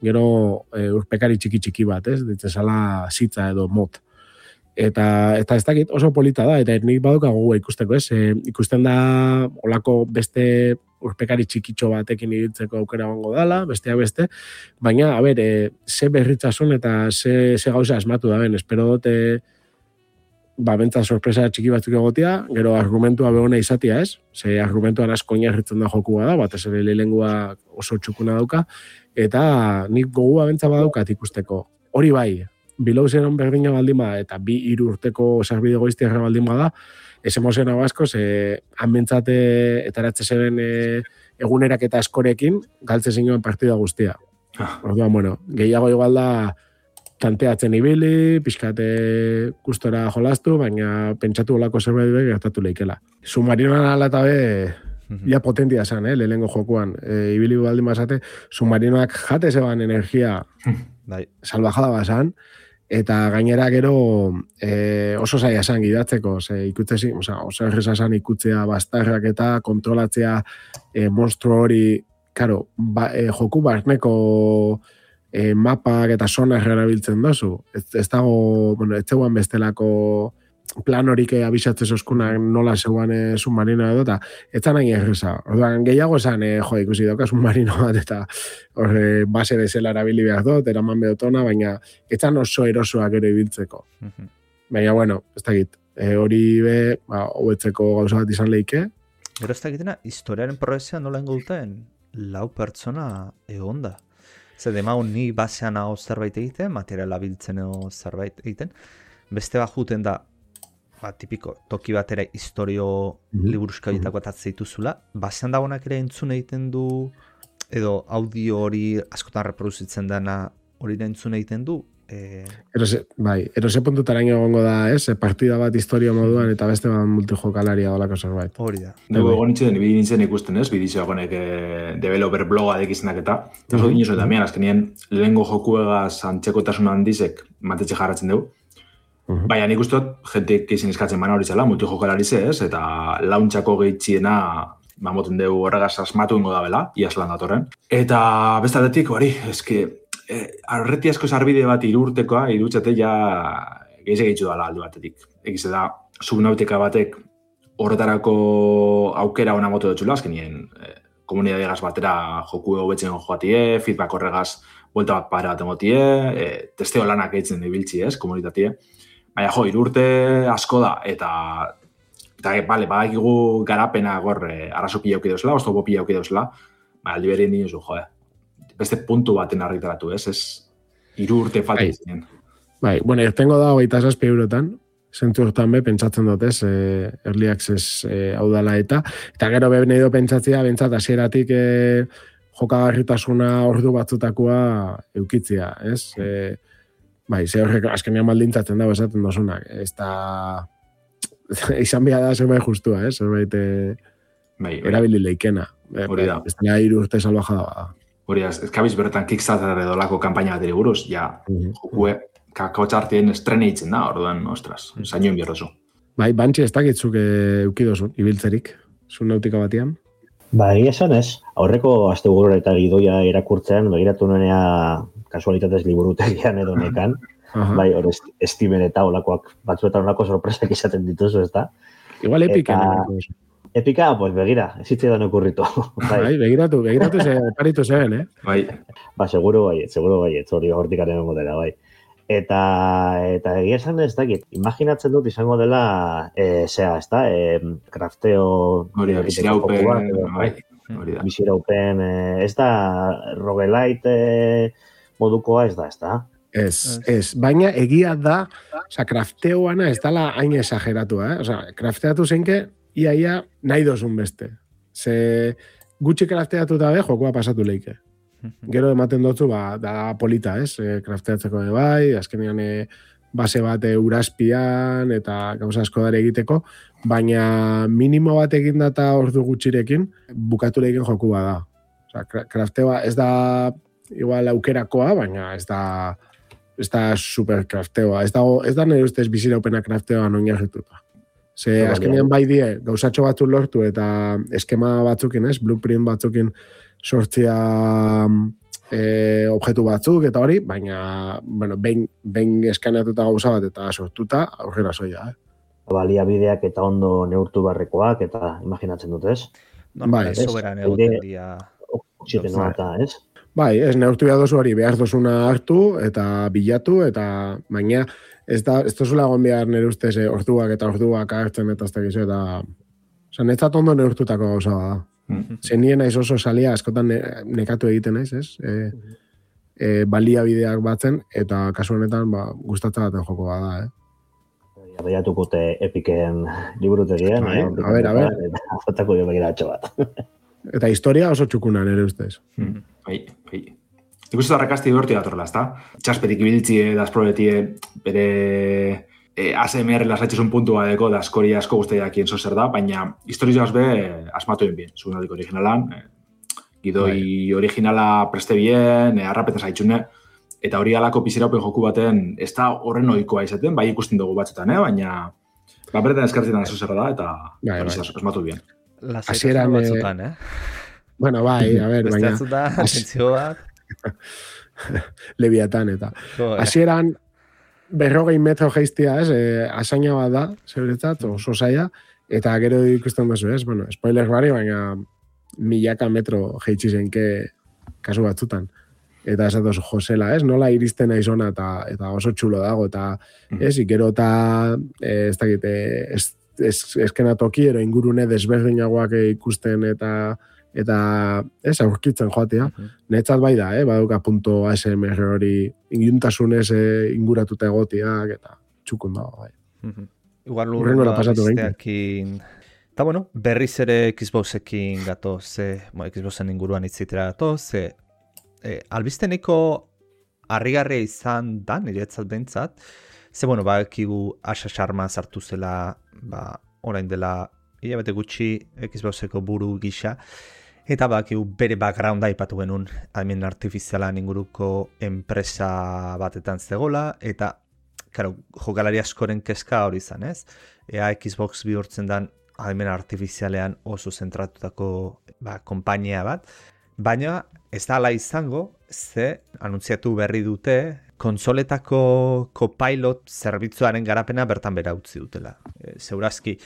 gero e, urpekari txiki txiki bat, ez, ditzezala zitza edo mot. Eta, eta ez dakit oso polita da, eta nik baduka gogoa ikusteko, ez, e, ikusten da olako beste urpekari txikitxo batekin ibiltzeko aukera gongo dala, besteak beste, baina, a ber, e, ze berritzasun eta ze, ze gauza asmatu da ben, espero dute, ba, bentsa sorpresa txiki batzuk egotia, gero argumentua behona izatea, ez? Ze argumentuan asko oinarritzen da jokua da, bat ez ere lehengua oso txukuna dauka, eta nik gogua bentsa badaukat ikusteko. Hori bai, Below Zeron berdina baldin bada, eta bi hiru urteko sarbide goiztiarra baldin bada, ez emozioa basko, ze hanbentzate eta eratze zeben e, egunerak eta askorekin, galtze zinuen partida guztia. Ah. Orduan, bueno, gehiago igual da tanteatzen ibili, pixkate gustora jolastu, baina pentsatu olako zerbait be gertatu leikela. Submarinoan ala eta be, ja potentia zen, eh, lehengo jokuan. E, ibili baldin bazate, submarinoak jate zeban energia salvajada bazan, eta gainera gero e, oso zaila esan gidatzeko, ze ikutzezi, oza, oso erreza esan ikutzea bastarrak eta kontrolatzea e, monstru hori, karo, ba, e, joku barneko e, mapak eta sonar erabiltzen dozu. Ez, ez dago, bueno, ez zegoen bestelako plan horik abisatze zozkunak nola zeuan e, submarino edo, eta ez zan nahi erreza. Orduan, gehiago esan, e, jo, ikusi dauka submarino bat, eta horre base bezala erabili behar dut, eraman behotona, baina ez zan oso erosoak ere ibiltzeko. Uh-huh. Baina, bueno, ez dakit, e, hori be, ba, hobetzeko gauza bat izan leike. Gero ez dakitena, historiaren progresia nola ingulten, lau pertsona egon da. Zer, demagun ni basean hau zerbait egiten, materiala biltzen hau zerbait egiten, beste bat juten da, ba, tipiko, toki batera historio mm-hmm. liburuzka bitako atatzea dituzula, basean dagoenak ere entzun egiten du edo audio hori askotan reproduzitzen dena hori entzun egiten du? E... Erose, bai, erose puntutaraino egongo da, ez? Partida bat historia moduan eta beste bat multijokalaria dolako zerbait. Hori da. Dugu egon nintzen, ibili nintzen ikusten, ez? Bidizio egonek eh, developer bloga dekizenak eta eta oso dinoso eta mian, azkenien lehengo jokuegaz antzekotasun handizek matetxe jarratzen dugu. Uh-huh. Baina nik uste dut, jentek izin eskatzen bana hori zela, multijokalari ze, ez? Eta launtxako gehitxiena mamoten dugu horregaz asmatu ingo da bela, iaslan datorren. Eta bestatetik, hori, eske, eh, arreti asko zarbide bat irurtekoa, irutxate ja gehize gehitxu dala alde batetik. Egiz da, subnautika batek horretarako aukera ona moto dutxula, azkenien eh, komunidadegaz batera joku hobetzen joatie, feedback horregaz buelta bat para bat emotie, eh, testeo lanak eitzen ibiltzi ez, komunitatie. Baina jo, irurte asko da, eta eta bale, badakigu garapena gor eh, arraso pila auki dozela, oztopo pila auki dozela, baina aldi berien dinosu, jo, eh. Beste puntu baten argitaratu, ez, ez irurte falta izan. Bai, bueno, irtengo da hogeita zazpi eurotan, zentu hortan be, pentsatzen dut, ez, eh, early access eh, hau dela eta, eta gero be nahi do pentsatzea, bentsat, hasieratik eh, jokagarritasuna ordu batzutakoa eukitzia, ez? Eh, bai, ze horrek azkenean baldintzatzen dago esaten dozunak, ez da izan behar da zerbait justua, eh? Zerbait eh, bai, erabili leikena. Hori da. Ez da hiru urte salvajada da. Hori da, ez kabiz bertan Kickstarter edo lako kampaina bateri buruz, ja, Mhm. jokue, kakotxartien estrene itzen da, orduan, ostras, zainoen bierrozu. Bai, bantxe ez dakitzuk eh, eukidozun, ibiltzerik, zun nautika batian. Ba, egia esan ez, aurreko asteburu eta gidoia irakurtzean, begiratu nuenea kasualitatez liburutegian edo nekan, Aha. bai, hor est- estimen eta olakoak, batzuetan olako sorpresak izaten dituzu, ez da? Igual epika. Eta- Epika, pues begira, ez zitzaidan okurritu. bai, Bai, begiratu, begiratu ze paritu zeben, eh? Bai, ba, seguro bai, seguro bai, ez hori hortikaren modela, bai. Eta, eta egia esan ez dakit, imaginatzen dut izango dela, e, zea, ez da, e, crafteo... hori da, egiteko biziraupen, joku bat, edo, bai, hori da. biziraupen, e, ez da, roguelite e, modukoa ez da, ez da? Ez, ez, baina egia da, oza, krafteoana ez dala hain exageratua, eh? Oza, krafteatu zenke, ia, ia, nahi dozun beste. Ze gutxi krafteatu da be, jokoa pasatu leike. Gero ematen dutzu, ba, da polita, ez? E, krafteatzeko de bai, azkenean e, base bat e, uraspian, eta gauza asko dara egiteko, baina minimo bat egin data ordu gutxirekin, bukatu lehiken joku bada. Oza, krafteoa ez da igual aukerakoa, baina ez da ez da super krafteoa. Ez da, ez da nire ustez biziraupena krafteoa noin jarrituta. Ze Bai, azkenean bai. bai die, gauzatxo batzuk lortu eta eskema batzukin, ez? Blueprint batzukin sortzia e, objektu batzuk eta hori, baina, bueno, behin, behin eskaneatuta gauza bat eta sortuta, aurrera soia, eh? Baliabideak eta ondo neurtu barrekoak, eta imaginatzen dut, ez? Normalen Bai, soberan ez, egoten aire- dira. Oxigenoa eta, ez? Bai, ez neurtu behar dozu hori, behar dozuna hartu eta bilatu, eta baina ez da, ez dozula egon behar nire ustez eh, orduak eta orduak hartzen eta ez da gizu, eta oza, netzat ondo neurtutako gauza da. Mm. Zer nien naiz oso salia askotan ne, nekatu egiten naiz, ez? E, e, baliabideak batzen, eta kasu honetan ba, gustatzen baten joko bada, eh? Baiatukute epiken liburutegian. Bai, eh, a ber, a ber. Eta fotako jo begiratxo bat. Eta historia oso txukuna nire ustez. Mm. Bai, bai. Nik uste darrakasti berti datorrela, ezta? Txaspetik ibiltzie, dasprobetie, bere e, A S M R lasatxezun puntu badeko, da askori asko guztiak zo zer da, baina historizioaz be asmatu egin bien, zunatik originalan, e, gidoi originala preste bien, e, arrapeta zaitxune, eta hori alako piziraupen joku baten ez da horren ohikoa izaten, bai ikusten dugu batzutan, eh? Baina ba, bertan eskartzen da zer da, eta Bai, hori bai. asmatu bien. Hasieran, Lasaitasuna eh, batzutan, eh? Bueno, bai, a ber, Beste baina batzutan, atentzio bat. lebiatan eta. jo, eh, Hasieran berrogei metro geiztia, ez, e, asaina bat da, zeuretzat, oso zaila, eta gero ikusten duzu, ez, bueno, spoiler bari, baina milaka metro jeitsi zenke kasu batzutan. Eta ez dut josela, ez, nola iristen aizona eta, eta oso txulo dago, eta ez, ikero eta ez dakit, eh, ez, ez, eskenatoki ero ingurune desberdinagoak ikusten eta eta ez aurkitzen joatea. Netzat bai da, eh, baduka punto A S M R hori inguntasunez eh, inguratuta egotiak eta txukun dago, bai. Mhm. Igual Hurrengoa lurrengoa pasatu behinke. besteakin Eta bueno, berriz ere Xboxekin gatoz, ze, bueno, Xboxen inguruan itzitera gatoz, ze, e, albizteneko harrigarria izan da, niretzat behintzat, ze bueno, ba, ekigu Asa Sharma sartu zela, ba, orain dela, hilabete gutxi Xboxeko buru gisa, eta bakigu bere backgrounda aipatu genuen adimen artifizialan inguruko enpresa batetan zegola, eta claro, jokalari askoren kezka hori izan, ez? Ea Xbox bihurtzen dan adimen artifizialean oso zentratutako ba, konpainia bat, baina ez da ala izango, ze anuntziatu berri dute konsoletako Copilot zerbitzuaren garapena bertan bera utzi dutela. E, Zeurazki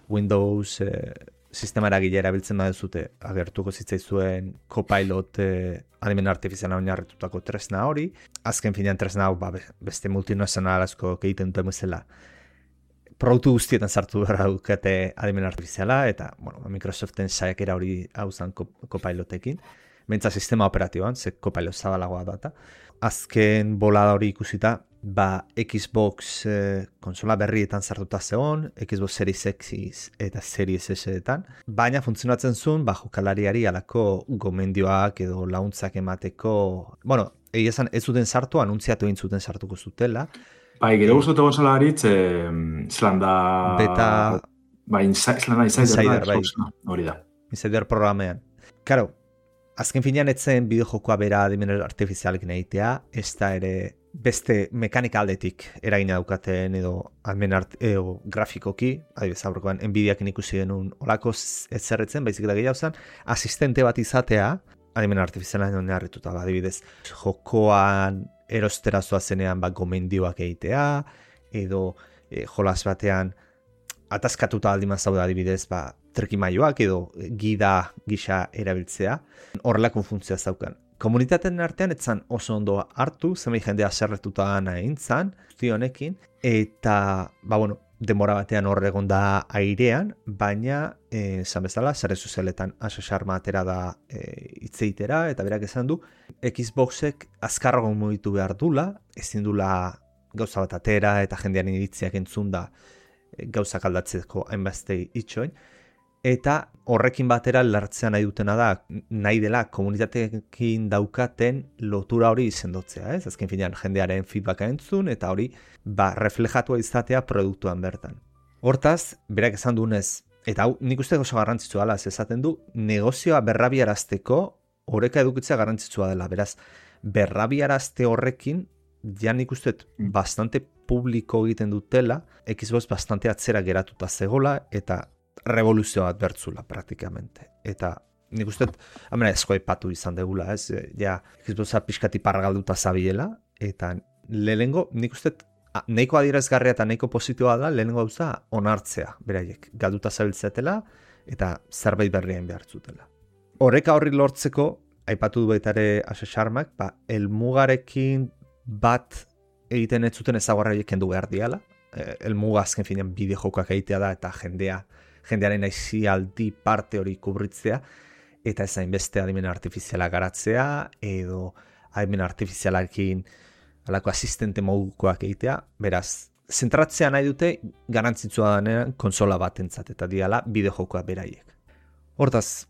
Windows e, sistema eragile erabiltzen baduzute agertuko zitzaizuen Copilot e, adimen artifiziala oinarritutako tresna hori. Azken finean tresna hau ba, beste multinazionalazko egiten duten bezala produktu guztietan sartu behar dukete adimen artifiziala, eta bueno, Microsoften saiakera hori hau zan Copilotekin. Mentza sistema operatiboan, ze Copilot zabalagoa data. Azken bolada hori ikusita, ba Xbox eh, konsola berrietan sartuta zegoen, Xbox Series X eta Series S-etan, baina funtzionatzen zuen, ba jokalariari alako gomendioak edo launtzak emateko, bueno, egia esan ez zuten sartu, anuntziatu egin zuten sartuko zutela. Bai, gero guztote gonzala haritz, eh, zelan da... Beta... Bai, zelan da Insider, Insider, da, bai. Xbox, no? Hori da. Insider programean. Karo, azken finean etzen bideojokoa bera adimen artifizialekin egitea, ez da ere beste mekanika aldetik eragina daukaten edo adimen art, edo grafikoki, adibidez aurrekoan Nvidiakin ikusi genuen olako ez zerretzen, baizik da gehiago zen, asistente bat izatea, adimen artifizialean oinarrituta, adibidez, jokoan erostera zoazenean bat gomendioak egitea, edo e, jolas batean ataskatuta aldiman zaude adibidez, ba, trikimailoak edo gida gisa erabiltzea, horrelako funtzioa zaukan. Komunitateen artean etzan oso ondo hartu, zenbait jendea zerretuta nahin zan, honekin, eta, ba, bueno, denbora batean hor egon da airean, baina, esan bezala, sare sozialetan Asa Sharma atera da e, itzeitera, eta berak esan du, Xboxek azkarrago mugitu behar dula, ezin dula gauza bat atera, eta jendean iritziak entzun da e, gauzak aldatzeko hainbazte itxoin, eta horrekin batera lartzea nahi dutena da, nahi dela komunitateekin daukaten lotura hori izendotzea, ez? Azken finean jendearen feedbacka entzun, eta hori ba, reflejatua izatea produktuan bertan. Hortaz, berak esan duenez, eta hau nik uste oso garrantzitsua dela, esaten du, negozioa berrabiarazteko oreka edukitzea garrantzitsua dela, beraz, berrabiarazte horrekin, ja nik uste bastante publiko egiten dutela, Xbox bastante atzera geratuta zegola, eta revoluzio bat bertzula praktikamente. Eta nik uste, hamena esko epatu izan degula, ez? Ja, Xboxa pixkati pargalduta zabiela, eta lehengo, nik uste, nahiko adierazgarria eta nahiko positiboa da, lehengo gauza onartzea, beraiek, galduta zabiltzetela, eta zerbait berrien behartzutela. Horreka horri lortzeko, aipatu du baitare Asa Sharmak, ba, elmugarekin bat egiten ez zuten ezaguarraiek kendu behar diala, elmuga azken finean bideojokoak egitea da, eta jendea jendearen aizialdi parte hori kubritzea, eta ezain beste adimen artifiziala garatzea, edo adimen artifizialarekin alako asistente modukoak egitea, beraz, zentratzea nahi dute garantzitsua denean konsola batentzat, eta diala bideojokoa beraiek. Hortaz,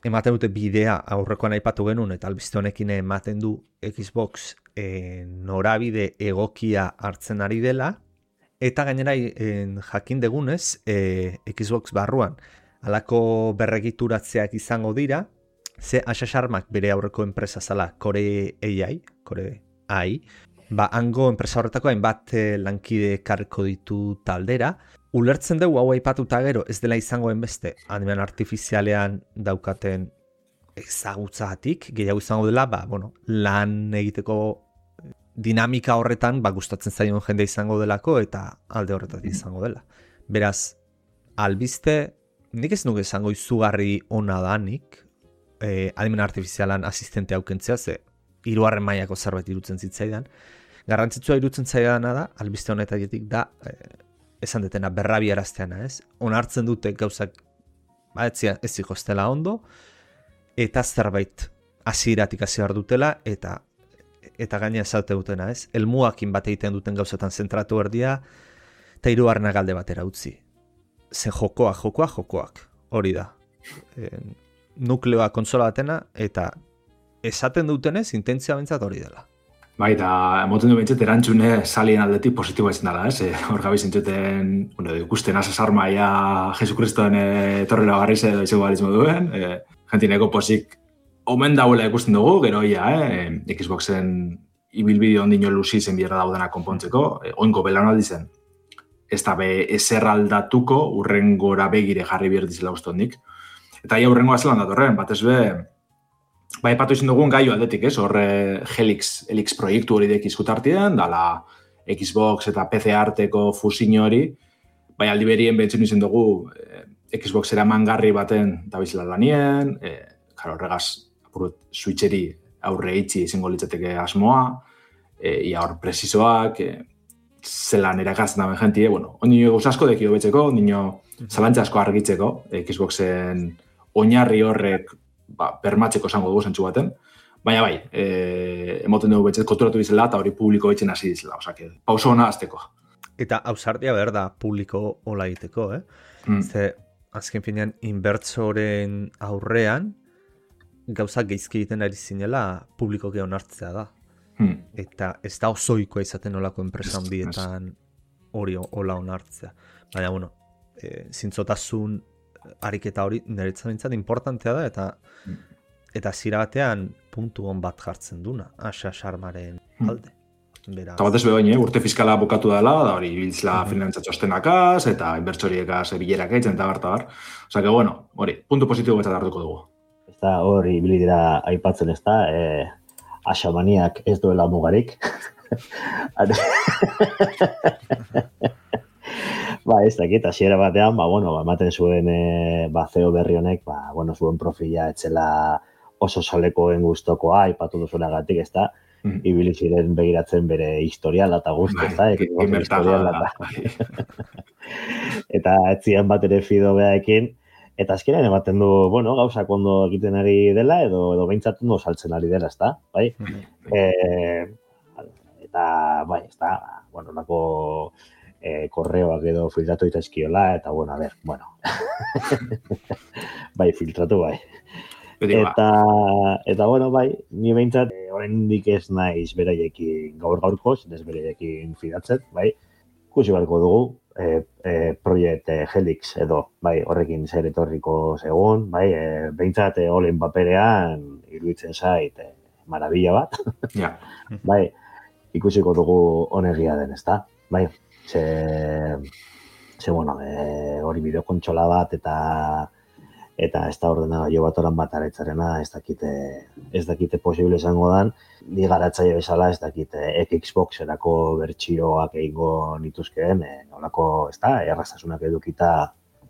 ematen dute bidea aurrekoan aipatu genuen, eta albiste honekin ematen du Xbox e, norabide egokia hartzen ari dela, eta gainera en, jakin degunez, e, Xbox barruan, alako berregituratzeak izango dira, ze Asa Sharmak bere aurreko enpresa zala, Core A I, Core A I, ba, hango enpresa horretako hainbat lankide karriko ditu taldera, ulertzen dugu hau aipatuta gero ez dela izangoen beste, adimen artifizialean daukaten ezagutzatik, gehiago izango dela, ba, bueno, lan egiteko dinamika horretan ba, gustatzen zaion jende izango delako eta alde horretatik izango dela. Beraz, albiste, nik ez nuke izango izugarri ona danik, eh, adimen artifizialan asistente haukentzea, ze hirugarren mailako zerbait irutzen zitzaidan. Garrantzitsua irutzen zaidana da, albiste honetatik da, eh, esan detena berrabiarazteana, ez? Onartzen dute gauzak ba, ez zikostela ondo, eta zerbait hasieratik hasi behar dutela, eta eta gaina esaute dutena, ez? Elmuakin bat egiten duten gauzetan zentratu erdia, eta hirugarrenak alde batera utzi. ze jokoak, jokoak, jokoak, hori da. E, nukleoa kontsola batena, eta esaten dutenez, intentzia bentsat hori dela. Bai, eta emoten du bentsat erantzune salien aldetik positiboa izan dela, ez? E, hor gabi zintzuten, bueno, ikusten asasarmaia Jesukristoen etorrela garriz edo izango balizmo duen, e, jentineko posik omen dauela ikusten dugu, gero ia, eh? Xboxen ibilbide ondino luzi zen bierra daudena konpontzeko, e, oinko belaunaldi zen. Ez da be ezer aldatuko urrengora begire jarri bierdizela uste hondik. Eta ia urrengoa zelan datorren, batez be, ba, epatu izan dugun gaio aldetik, ez? Horre Helix, Helix proiektu hori dek izkutartien, dala Xbox eta P C arteko fusin hori, bai aldi berien behitzen izan dugu eh, Xbox eramangarri baten dabizela lanien, eh, karo, horregaz, apurut, switcheri aurre itxi izango litzateke asmoa, eh, ia hor presizoak, eh, zelan erakatzen daben jentie, bueno, ondino gauz asko dekio betzeko, ondino zalantza asko argitzeko, Xboxen oinarri horrek ba, bermatzeko esango dugu zentzu baten, baina bai, e, emoten dugu betzet konturatu dizela eta hori publiko betxen hasi dizela, osea, que pauso hona azteko. Eta ausardia behar da publiko hola egiteko, eh? Mm. Ze, azken finean, inbertsoren aurrean, gauzak geizki egiten ari zinela publikoki onartzea da. Hmm. Eta ez da osoikoa izaten olako enpresa handietan hori hola onartzea. Baina, bueno, e, zintzotasun ariketa hori niretzat bintzat importantea da, eta hmm. eta zira batean puntu hon bat jartzen duna, asa sarmaren alde. Hmm. Eta batez behin, eh? Urte fiskala bukatu dela, da hori biltzla hmm. finantza txostenakaz, eta inbertsoriekaz bilerak eitzen, eta bar, eta bar. Osa, que bueno, hori, puntu positibo betzat hartuko dugu. Ez da, hori bilidera aipatzen ez da, eh... Asamaniak ez duela mugarik. Ba, ez dakit, hasiera batean, ba, bueno, ba, ematen zuen e, ba, C E O berri honek, ba, bueno, zuen profila etzela oso salekoen gustokoa, aipatu duzuenagatik, ez da, mm. ibili ziren begiratzen bere historiala eta guzti, ez da, ekin historiala eta. Eta etzian bat ere fido behaekin, eta azkenean ematen du, bueno, gauzak ondo egiten ari dela, edo edo behintzat ondo saltzen ari dela, ezta? Bai? Mm-hmm. E, eta, bai, ezta, bueno, lako e, korreoak edo filtratu itazkiola, eta, bueno, a ber, bueno. Bai, filtratu, bai. Eta, eta, bueno, bai, ni behintzat, e, oraindik ez naiz beraiekin gaur gaurkoz, ez beraiekin fidatzen, bai, ikusi beharko dugu, E, e, Project e, Helix edo, bai, horrekin zer etorriko segun, bai, e, behintzat e, olen paperean iruditzen zait e, marabila bat, ja. Bai, ikusiko dugu onegia den, ezta? Bai, ze, ze bueno, e, hori bideokontsola bat eta eta ez da ordenagailu bat oran bat aretzarena, ez dakite, ez dakite posible izango dan, ni garatzaile bezala ez dakite Xboxerako bertsioak egingo nituzkeen, e, nolako, ez da, erraztasunak edukita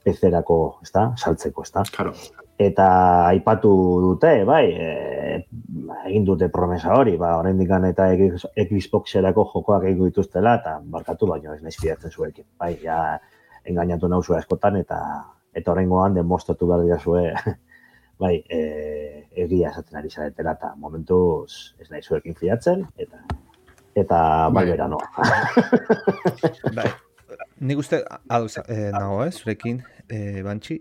P C-erako, ez da, saltzeko, ez da. Claro. Eta aipatu dute, bai, e, egin dute promesa hori, ba, oraindik eta Xboxerako jokoak egingo dituztela, eta barkatu baino ez naiz fidatzen zuekin. Bai, ja, engainatu nauzu askotan, eta eta horrengoan demostratu behar dira zue, bai, e, egia esaten ari zaretela, eta momentuz ez nahi zuekin fidatzen, eta eta bai bera noa. Bai, nik uste, ados, eh, nago, eh, zurekin, eh, Bantxi,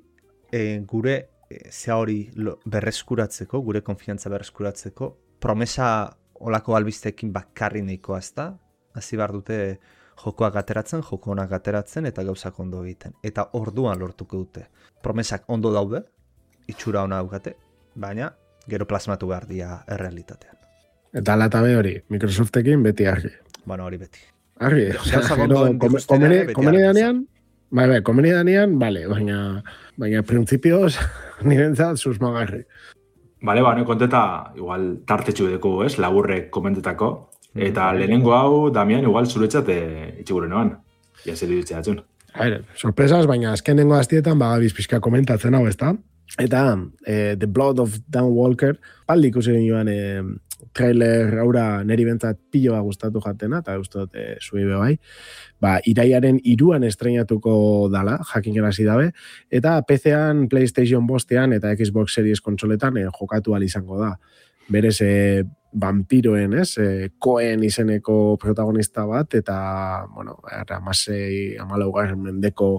eh, gure eh, zea hori berreskuratzeko, gure konfiantza berreskuratzeko, promesa olako albistekin bakarri nahikoa ez da, hasi behar dute jokoak ateratzen, joko honak ateratzen eta gauzak ondo egiten. Eta orduan lortuko dute. Promesak ondo daude, itxura ona daukate, baina gero plasmatu behar dira errealitatean. Eta latabe hori, Microsoftekin beti argi. Bueno, hori beti. Argi, osea, gero komeni danean, bai, bai, komeni danean, bale, baina, baina printzipioz, nirentzat susmagarri. Bale, ba, konteta, igual tartetxu dugu, ez, laburrek komentetako. Eta lehenengo hau, Damian, igual zuretzat itxiguren noan. Ja, zer idutzea atxun. Aire, sorpresas, baina azkenengo aztietan bagabiz pixka komentatzen hau, ezta? Eta eh, The Blood of Dan Walker, paldi ikusi genioan eh, trailer haura neri bentzat piloa gustatu jatena, eta gustot eh, zuei bai. Ba, iraiaren iruan estreinatuko dala, jakin hasi dabe, eta P C-an, PlayStation bostean eta Xbox Series kontsoletan eh, jokatu ahal izango da. Berez, eh, vampiroen, ez, e, Cohen izeneko protagonista bat, eta, bueno, amasei, amalaugarren mendeko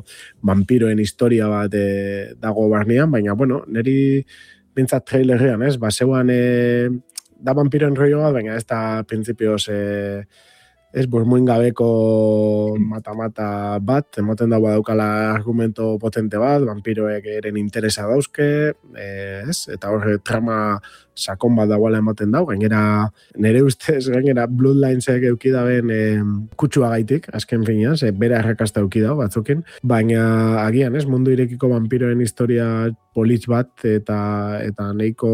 vampiroen historia bat e, dago barnean, baina, bueno, niri bintzat trailerrean, ez, baseuan e, da vampiroen rollo bat, baina ez da printzipioz e, ez burmuin gabeko mata-mata bat, emoten dago daukala argumento potente bat, vampiroek eren interesa dauzke, eh, ez? Eta horre trama sakon bat dagoela ematen dau, gainera nire ustez, gainera Bloodlinesek eukidaben eh, kutsua gaitik, azken finean, ze bere arrakasta eukidau batzukin, baina agian, ez, mundu irekiko vampiroen historia politx bat, eta eta nahiko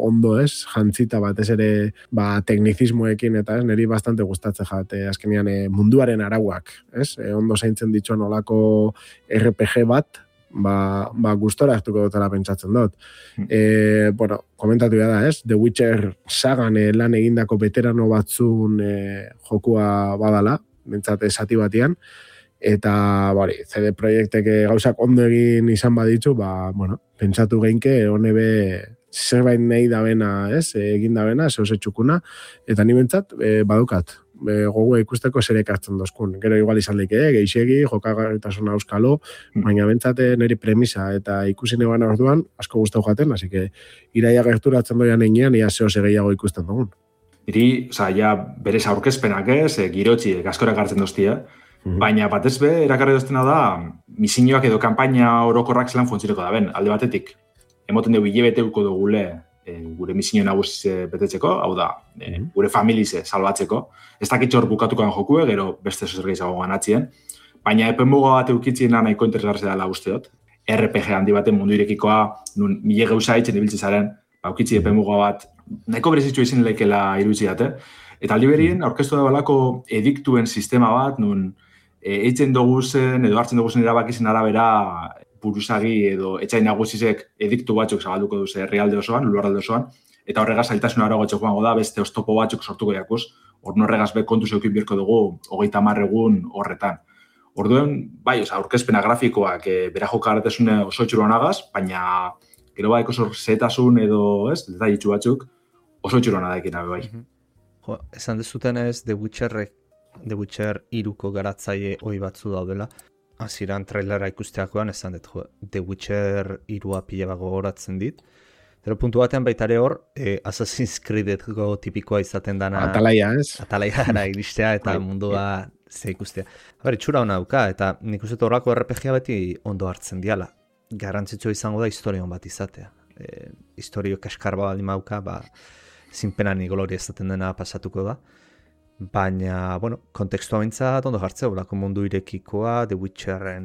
ondo, ez, jantzita bat, ez ere, ba, teknizismoekin, eta ez, niri bastante gustatzen jate, azkenean e, munduaren arauak, ez? E, ondo zaintzen dituen olako R P G bat, ba, ba gustora hartuko dutela pentsatzen dut. E, bueno, komentatu da, ez? The Witcher sagan e, lan egindako veterano batzun e, jokua badala, bentsat esati batian, eta bari, C D Projektek gauzak ondo egin izan baditzu, ba, bueno, pentsatu geinke, honebe zerbait nahi dabena, ez? Egin dabena, zehose txukuna, eta ni bentsat, e, badukat, e, gogoa ikusteko zer ekartzen dozkun. Gero igual izan daike, eh? Geixegi, jokagarritasuna euskalo, baina bentsat niri premisa, eta ikusi neban orduan, asko gustau jaten, así que iraia gerturatzen doian einean, ia zehose gehiago ikusten dugun. Iri, oza, ja, berez aurkezpenak ez, e, girotxi, gaskorak hartzen doztia, baina batez be, erakarri doztena da, misioak edo kanpaina orokorrak zelan funtzioneko da ben, alde batetik, emoten dugu hilebeteuko dugule e, gure misio nagusize betetzeko, hau da, e, gure familize salbatzeko, ez dakitxo hor bukatukoan jokue, gero beste zer gehiago ganatzien, baina epenmuga bat eukitzien nahiko interesgarri dela usteot, R P G handi baten mundu irekikoa, nun mile gauza eitzen ibiltze zaren, ba, eukitzi epenmuga bat, nahiko berezitxo izin lekela iruditzi date, eta aldi berien, aurkeztu da balako ediktuen sistema bat, nun eitzen dugu zen, edo hartzen dugu zen erabakizien arabera buruzagi edo etxain nagusizek ediktu batzuk zabalduko duze herrialde osoan, lurralde osoan, eta horregaz zailtasuna aragoetxo joango da, beste oztopo batzuk sortuko jakuz, hor horregaz be kontu zeukin birko dugu hogeita hamar egun horretan. Orduen, bai, oza, aurkezpena grafikoak e, bera jokaratezune oso itxuruan agaz, baina gero bai oso zetasun edo, ez, detailitzu batzuk oso itxuruan adaikin abe bai. Jo, esan dezuten ez, The Witcherrek The Witcher iruko garatzaile hoi batzu daudela. Hasieran trailera ikusteakoan esan dut, jo, The Witcher irua pila bat gogoratzen dit. Pero puntu batean baita ere hor, eh, Assassin's Creedeko tipikoa izaten dana... Atalaia, ez? Atalaia gara iristea eta mundua ze ikustea. Ber, itxura hona dauka, eta nik uste horrako R P G beti ondo hartzen diala. Garrantzitsua izango da historion bat izatea. E, historio kaskarba baldin mauka, ba, zinpena ni gloria izaten dena pasatuko da. Baina, bueno, kontekstua bintzat ondo jartzea, bolako mundu irekikoa, The Witcherren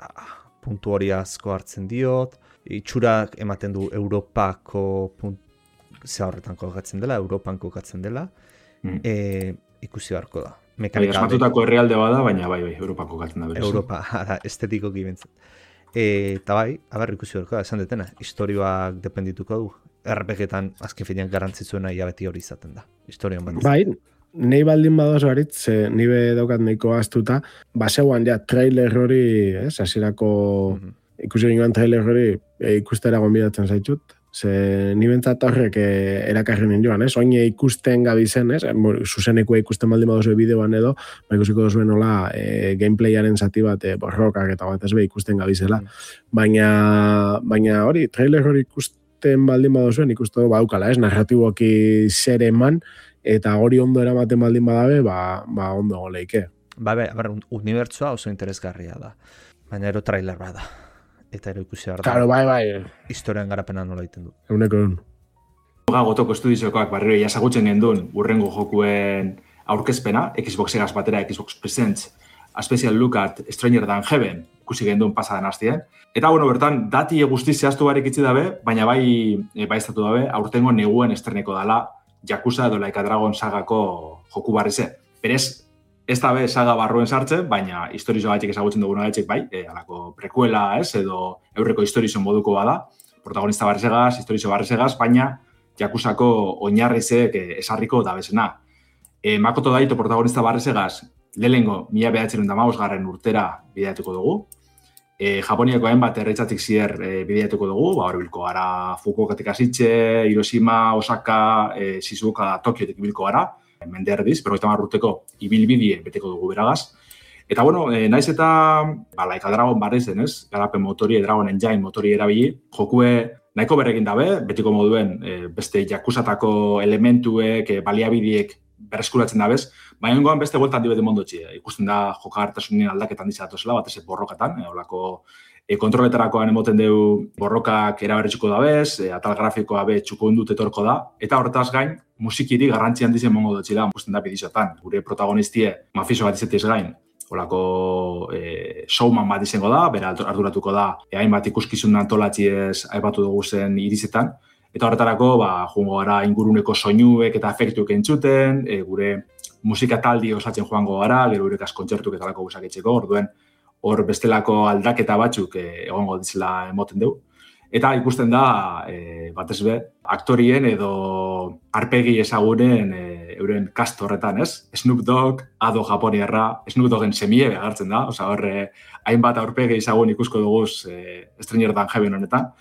ah, puntu hori asko hartzen diot, itxurak ematen du Europako punt, ze horretan kokatzen dela, Europan kokatzen dela, mm. e, ikusi beharko da. Bai, asmatutako herrialde bada, baina bai, bai, Europan kokatzen da berez. Europa, ara, estetiko gibintzat. Eta bai, abar ikusi beharko da, esan detena, historioak dependituko du. R P G-etan azken finean garrantzitzuena ia beti hori izaten da, historion bat. Bai, nahi baldin badoz baritz, nibe daukat nahiko aztuta, baseuan ja trailer hori, ez, hasierako mm-hmm. ikusi ginoan trailer hori e, ikustera gonbidatzen zaitut, ze ni bentsat horrek e, erakarri joan, ez, oine ikusten gabizen, ez, zuzeneko ikusten baldin badoz bideoan edo, ba ikusiko duzuen nola e, gameplayaren zati bat, e, borrokak eta bat ez be ikusten gabizela, mm-hmm. baina, baina hori, trailer hori ikusten baldin badozuen, ikusten baukala, ez, narratiboki zer eman, eta hori ondo eramaten baldin badabe, ba, ba ondo goleike. Ba, be, ber, unibertsua oso interesgarria da. Baina ero trailer bada. Eta ero ikusi behar da. Claro, bai, bai. Historian garapena nola egiten du. Euneko egun. Ga gotoko estudiziokoak barriro jasagutzen gendun urrengo jokuen aurkezpena, Xbox egaz batera, Xbox Presents, A Special Look at Stranger Than Heaven, ikusi gendun pasadan hastien. Eta, bueno, bertan, dati guztiz zehaztu barik itzi dabe, baina bai, bai estatu dabe, aurtengo neguen estreneko dala, Yakuza edo Like a Dragon sagako joku barrize. Berez, ez da be saga barruen sartzen, baina historizo gaitik ezagutzen duguna gaitik bai, e, alako prekuela, ez, edo eurreko historizo moduko bada, protagonista barrizegaz, historizo barrizegaz, baina Yakuzako oinarrizek e, esarriko dabezena. E, Makoto Daito protagonista barrizegaz, lehengo mila behatzen da maus garren urtera bideatuko dugu, E, Japoniako hainbat erretzatik zier e, bideatuko dugu, ba, hori bilko gara Fukuokatik hasitxe, Hiroshima, Osaka, e, Shizuoka, Tokiotik bilko gara, mende erdiz, berrogeita hamar urteko ibilbidie beteko dugu beragaz. Eta, bueno, e, naiz eta, ba, Like a Dragon barriz denez, garapen motori, Dragon Engine motori erabili, jokue nahiko berrekin dabe, betiko moduen e, beste jakusatako elementuek, e, baliabidiek berreskuratzen dabez, baina goan beste bueltan dibete mondotxi. E, ikusten da jokagartasunien aldaketan dizatozela, batez borrokatan, e, olako e, kontroletarakoan emoten deu borrokak eraberritzuko dabez, e, atal grafikoa be txuko indut etorko da, eta horretaz gain, musikiri garrantzian dizen mongo dutxila, ikusten da bidizotan. Gure protagonistie mafiso bat izetiz gain, olako e, showman bat izango da, bera arduratuko da, e, hainbat ikuskizun antolatziez aipatu dugu zen irizetan, eta horretarako, ba, joango gara inguruneko soinuek eta efektuek entzuten, e, gure musika taldi osatzen joango gara, gero gure kontzertuk eta lako gusaketzeko, orduen hor bestelako aldaketa batzuk e, egongo ditzela emoten dugu. Eta ikusten da, e, batez be, aktorien edo arpegi ezagunen e, euren kast horretan, ez? Snoop Dogg, Ado Japoniarra, Snoop Doggen semie behartzen da, oza, horre, hainbat aurpegi ezagun ikusko duguz e, Stranger Than Heaven honetan.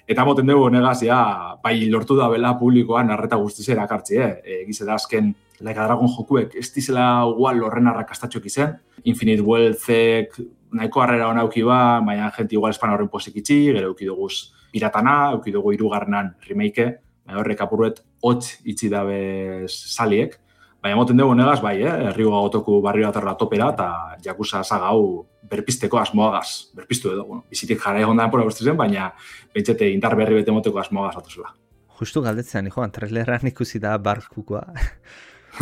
Eta moten dugu honegaz, ja, bai lortu da bela publikoan arreta guztizera akartzi, eh? Egize da azken Like a Dragon jokuek ez dizela igual horren arrakastatxok izen. Infinite Wealthek nahiko harrera hona auki ba, baina jenti igual espan horren posik itxi, gero auki duguz piratana, auki dugu irugarrenan remake, baina horrek apurruet hotz itxi dabez saliek. Baina moten dugu honegaz, bai, eh? Herrigo gagotoku barrio atarra topera, eta jakuza saga hau berpisteko asmoagaz, berpistu edo, bueno, bizitik jara egon da pora zen, baina bentsete indar berri bete moteko asmoagaz atuzela. Justu galdetzen, joan, traileran ikusi da barkukoa.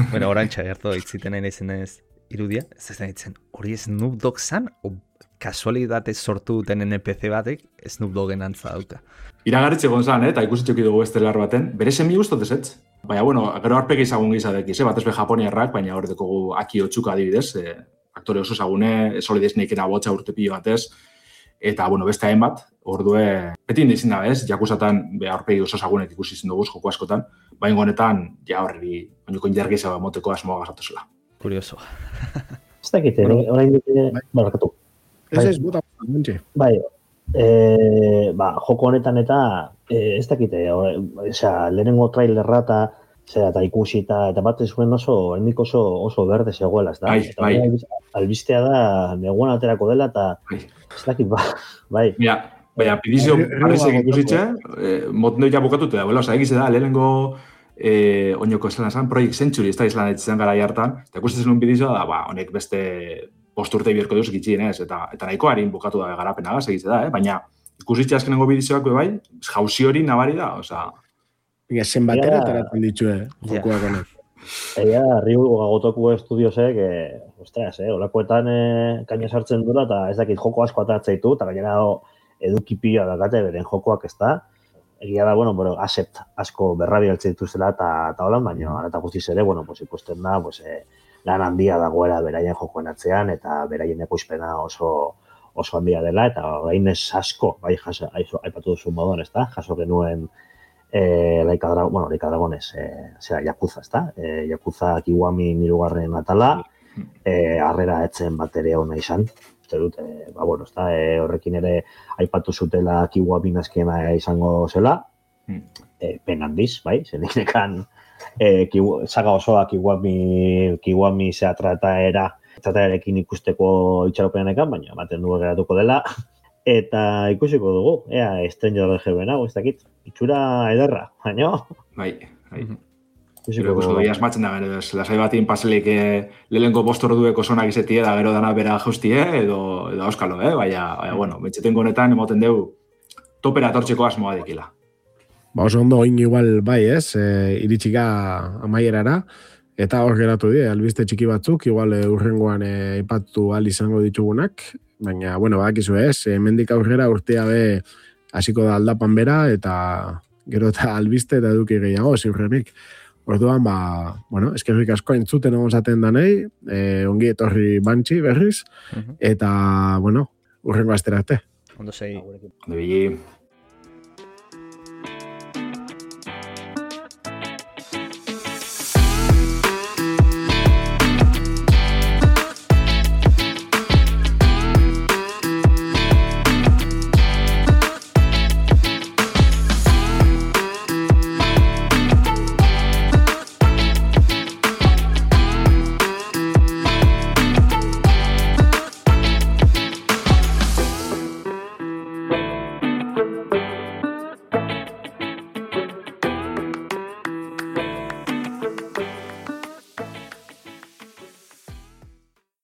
Bueno, orantxa gertu itziten nahi nahi zenez irudia, ez ez nahi zen, hori Snoop Dogg zan, o kasualidatez sortu duten N P C batek Snoop Doggen antza dauka. Iragarritxe gonzan, eh, eta ikusitxoki dugu estelar baten, bere semi guztot ez? Baina, bueno, gero arpegi izagun gizadekiz, eh? Batez be Japoniarrak, baina hor dekogu Aki Otsuka adibidez, eh, aktore oso zagune, Solid Snakeena botxa urte pilo batez, eta, bueno, beste hainbat, ordue, beti indizin da, ez? Jakusatan, be, aurpegi oso zagunek ikusi izin dugu, joko askotan, baina honetan, ja horri, oinoko indargiza moteko asmoa gazatuzela. Kurioso. Ez dakite, orain dute, barakatu. Ez ez, bota, mentxe. Bai, e, ba, joko honetan eta, e, ez dakite, osea, lehenengo trailerra eta, zera, eta ikusi eta, eta bat zuen oso, hendik oso, oso berde zegoela, ez da? Bai, eta bai. Albistea da, neguan aterako dela, eta, bai. Ez dakit, ba, bai. Mira, baina, pidizio barrizek ikusitxe, eh, moten ja bukatute da, oza, egize da, lehenengo eh, oinoko esan esan, Project Century, ez da izan etxezen gara hartan, eta ikusten zenun bidizioa da, ba, honek beste bost urte bierko duz gitxien, ez, eta, eta nahiko harin bukatu da garapena gaz, egize da, eh? Baina, ikusitxe azkenengo bidizioak bai, jauzi hori nabari da, oza. Baina, zenbatera taratzen ditue, jokuak honek. Egia, Ryu Gagotoku estudiosek, eh, ostras, eh, olakoetan eh, kaina sartzen dura, eta ez dakit joko asko atatzeitu, eta gainera edukipioa dakate beren jokoak ez da. Egia da, bueno, bueno, asset asko berrabi altzeitu zela, eta, eta holan, baina ara eta guztiz ere, bueno, pues, ikusten da, pues, eh, lan handia dagoela beraien jokoen atzean, eta beraien ekoizpena oso oso handia dela, eta orain ez asko, bai, jaso, aipatu duzu moduan, ez da, jaso genuen Eh, Like a Dragon, bueno, Like a Dragon ez, eh, zera, Yakuza, ez da? Eh, Yakuza Kiwami nirugarren atala, eh, arrera etzen bat ere hona izan. Uste dut, eh, ba, bueno, ez da, eh, horrekin ere aipatu zutela Kiwami nazkena izango zela, eh, pen handiz, bai, zeninekan eh, saga osoa Kiwami, Kiwami zea trataera, trataerekin ikusteko itxaropenanekan, baina ematen du geratuko dela. Eta ikusiko dugu, ea, Stranger Than Heaven hau, ez dakit, itxura ederra, baina? Bai, bai. Ikusiko dugu. Ia esmatzen da, gero, lasai batin paselik eh, lehenko postor dueko zonak izetie, da gero dana bera jaustie, edo, edo auskalo, eh? Baina, baina, bueno, betxetengo honetan, emoten dugu, topera tortzeko asmoa dikila. Ba, oso ondo oin igual, bai, ez, e, iritsika amaierara, eta hor geratu die, albiste txiki batzuk, igual e, urrengoan aipatu e, al izango ditugunak, baina, bueno, badakizu ez, hemendik aurrera urtea be hasiko da aldapan bera, eta gero eta albiste eta eduki gehiago, ziurrenik. Orduan, ba, bueno, eskerrik asko entzuten egon zaten danei, e, ongi etorri bantxi berriz, eta, bueno, urrengo asterate. Ondo sei. Ondo bili.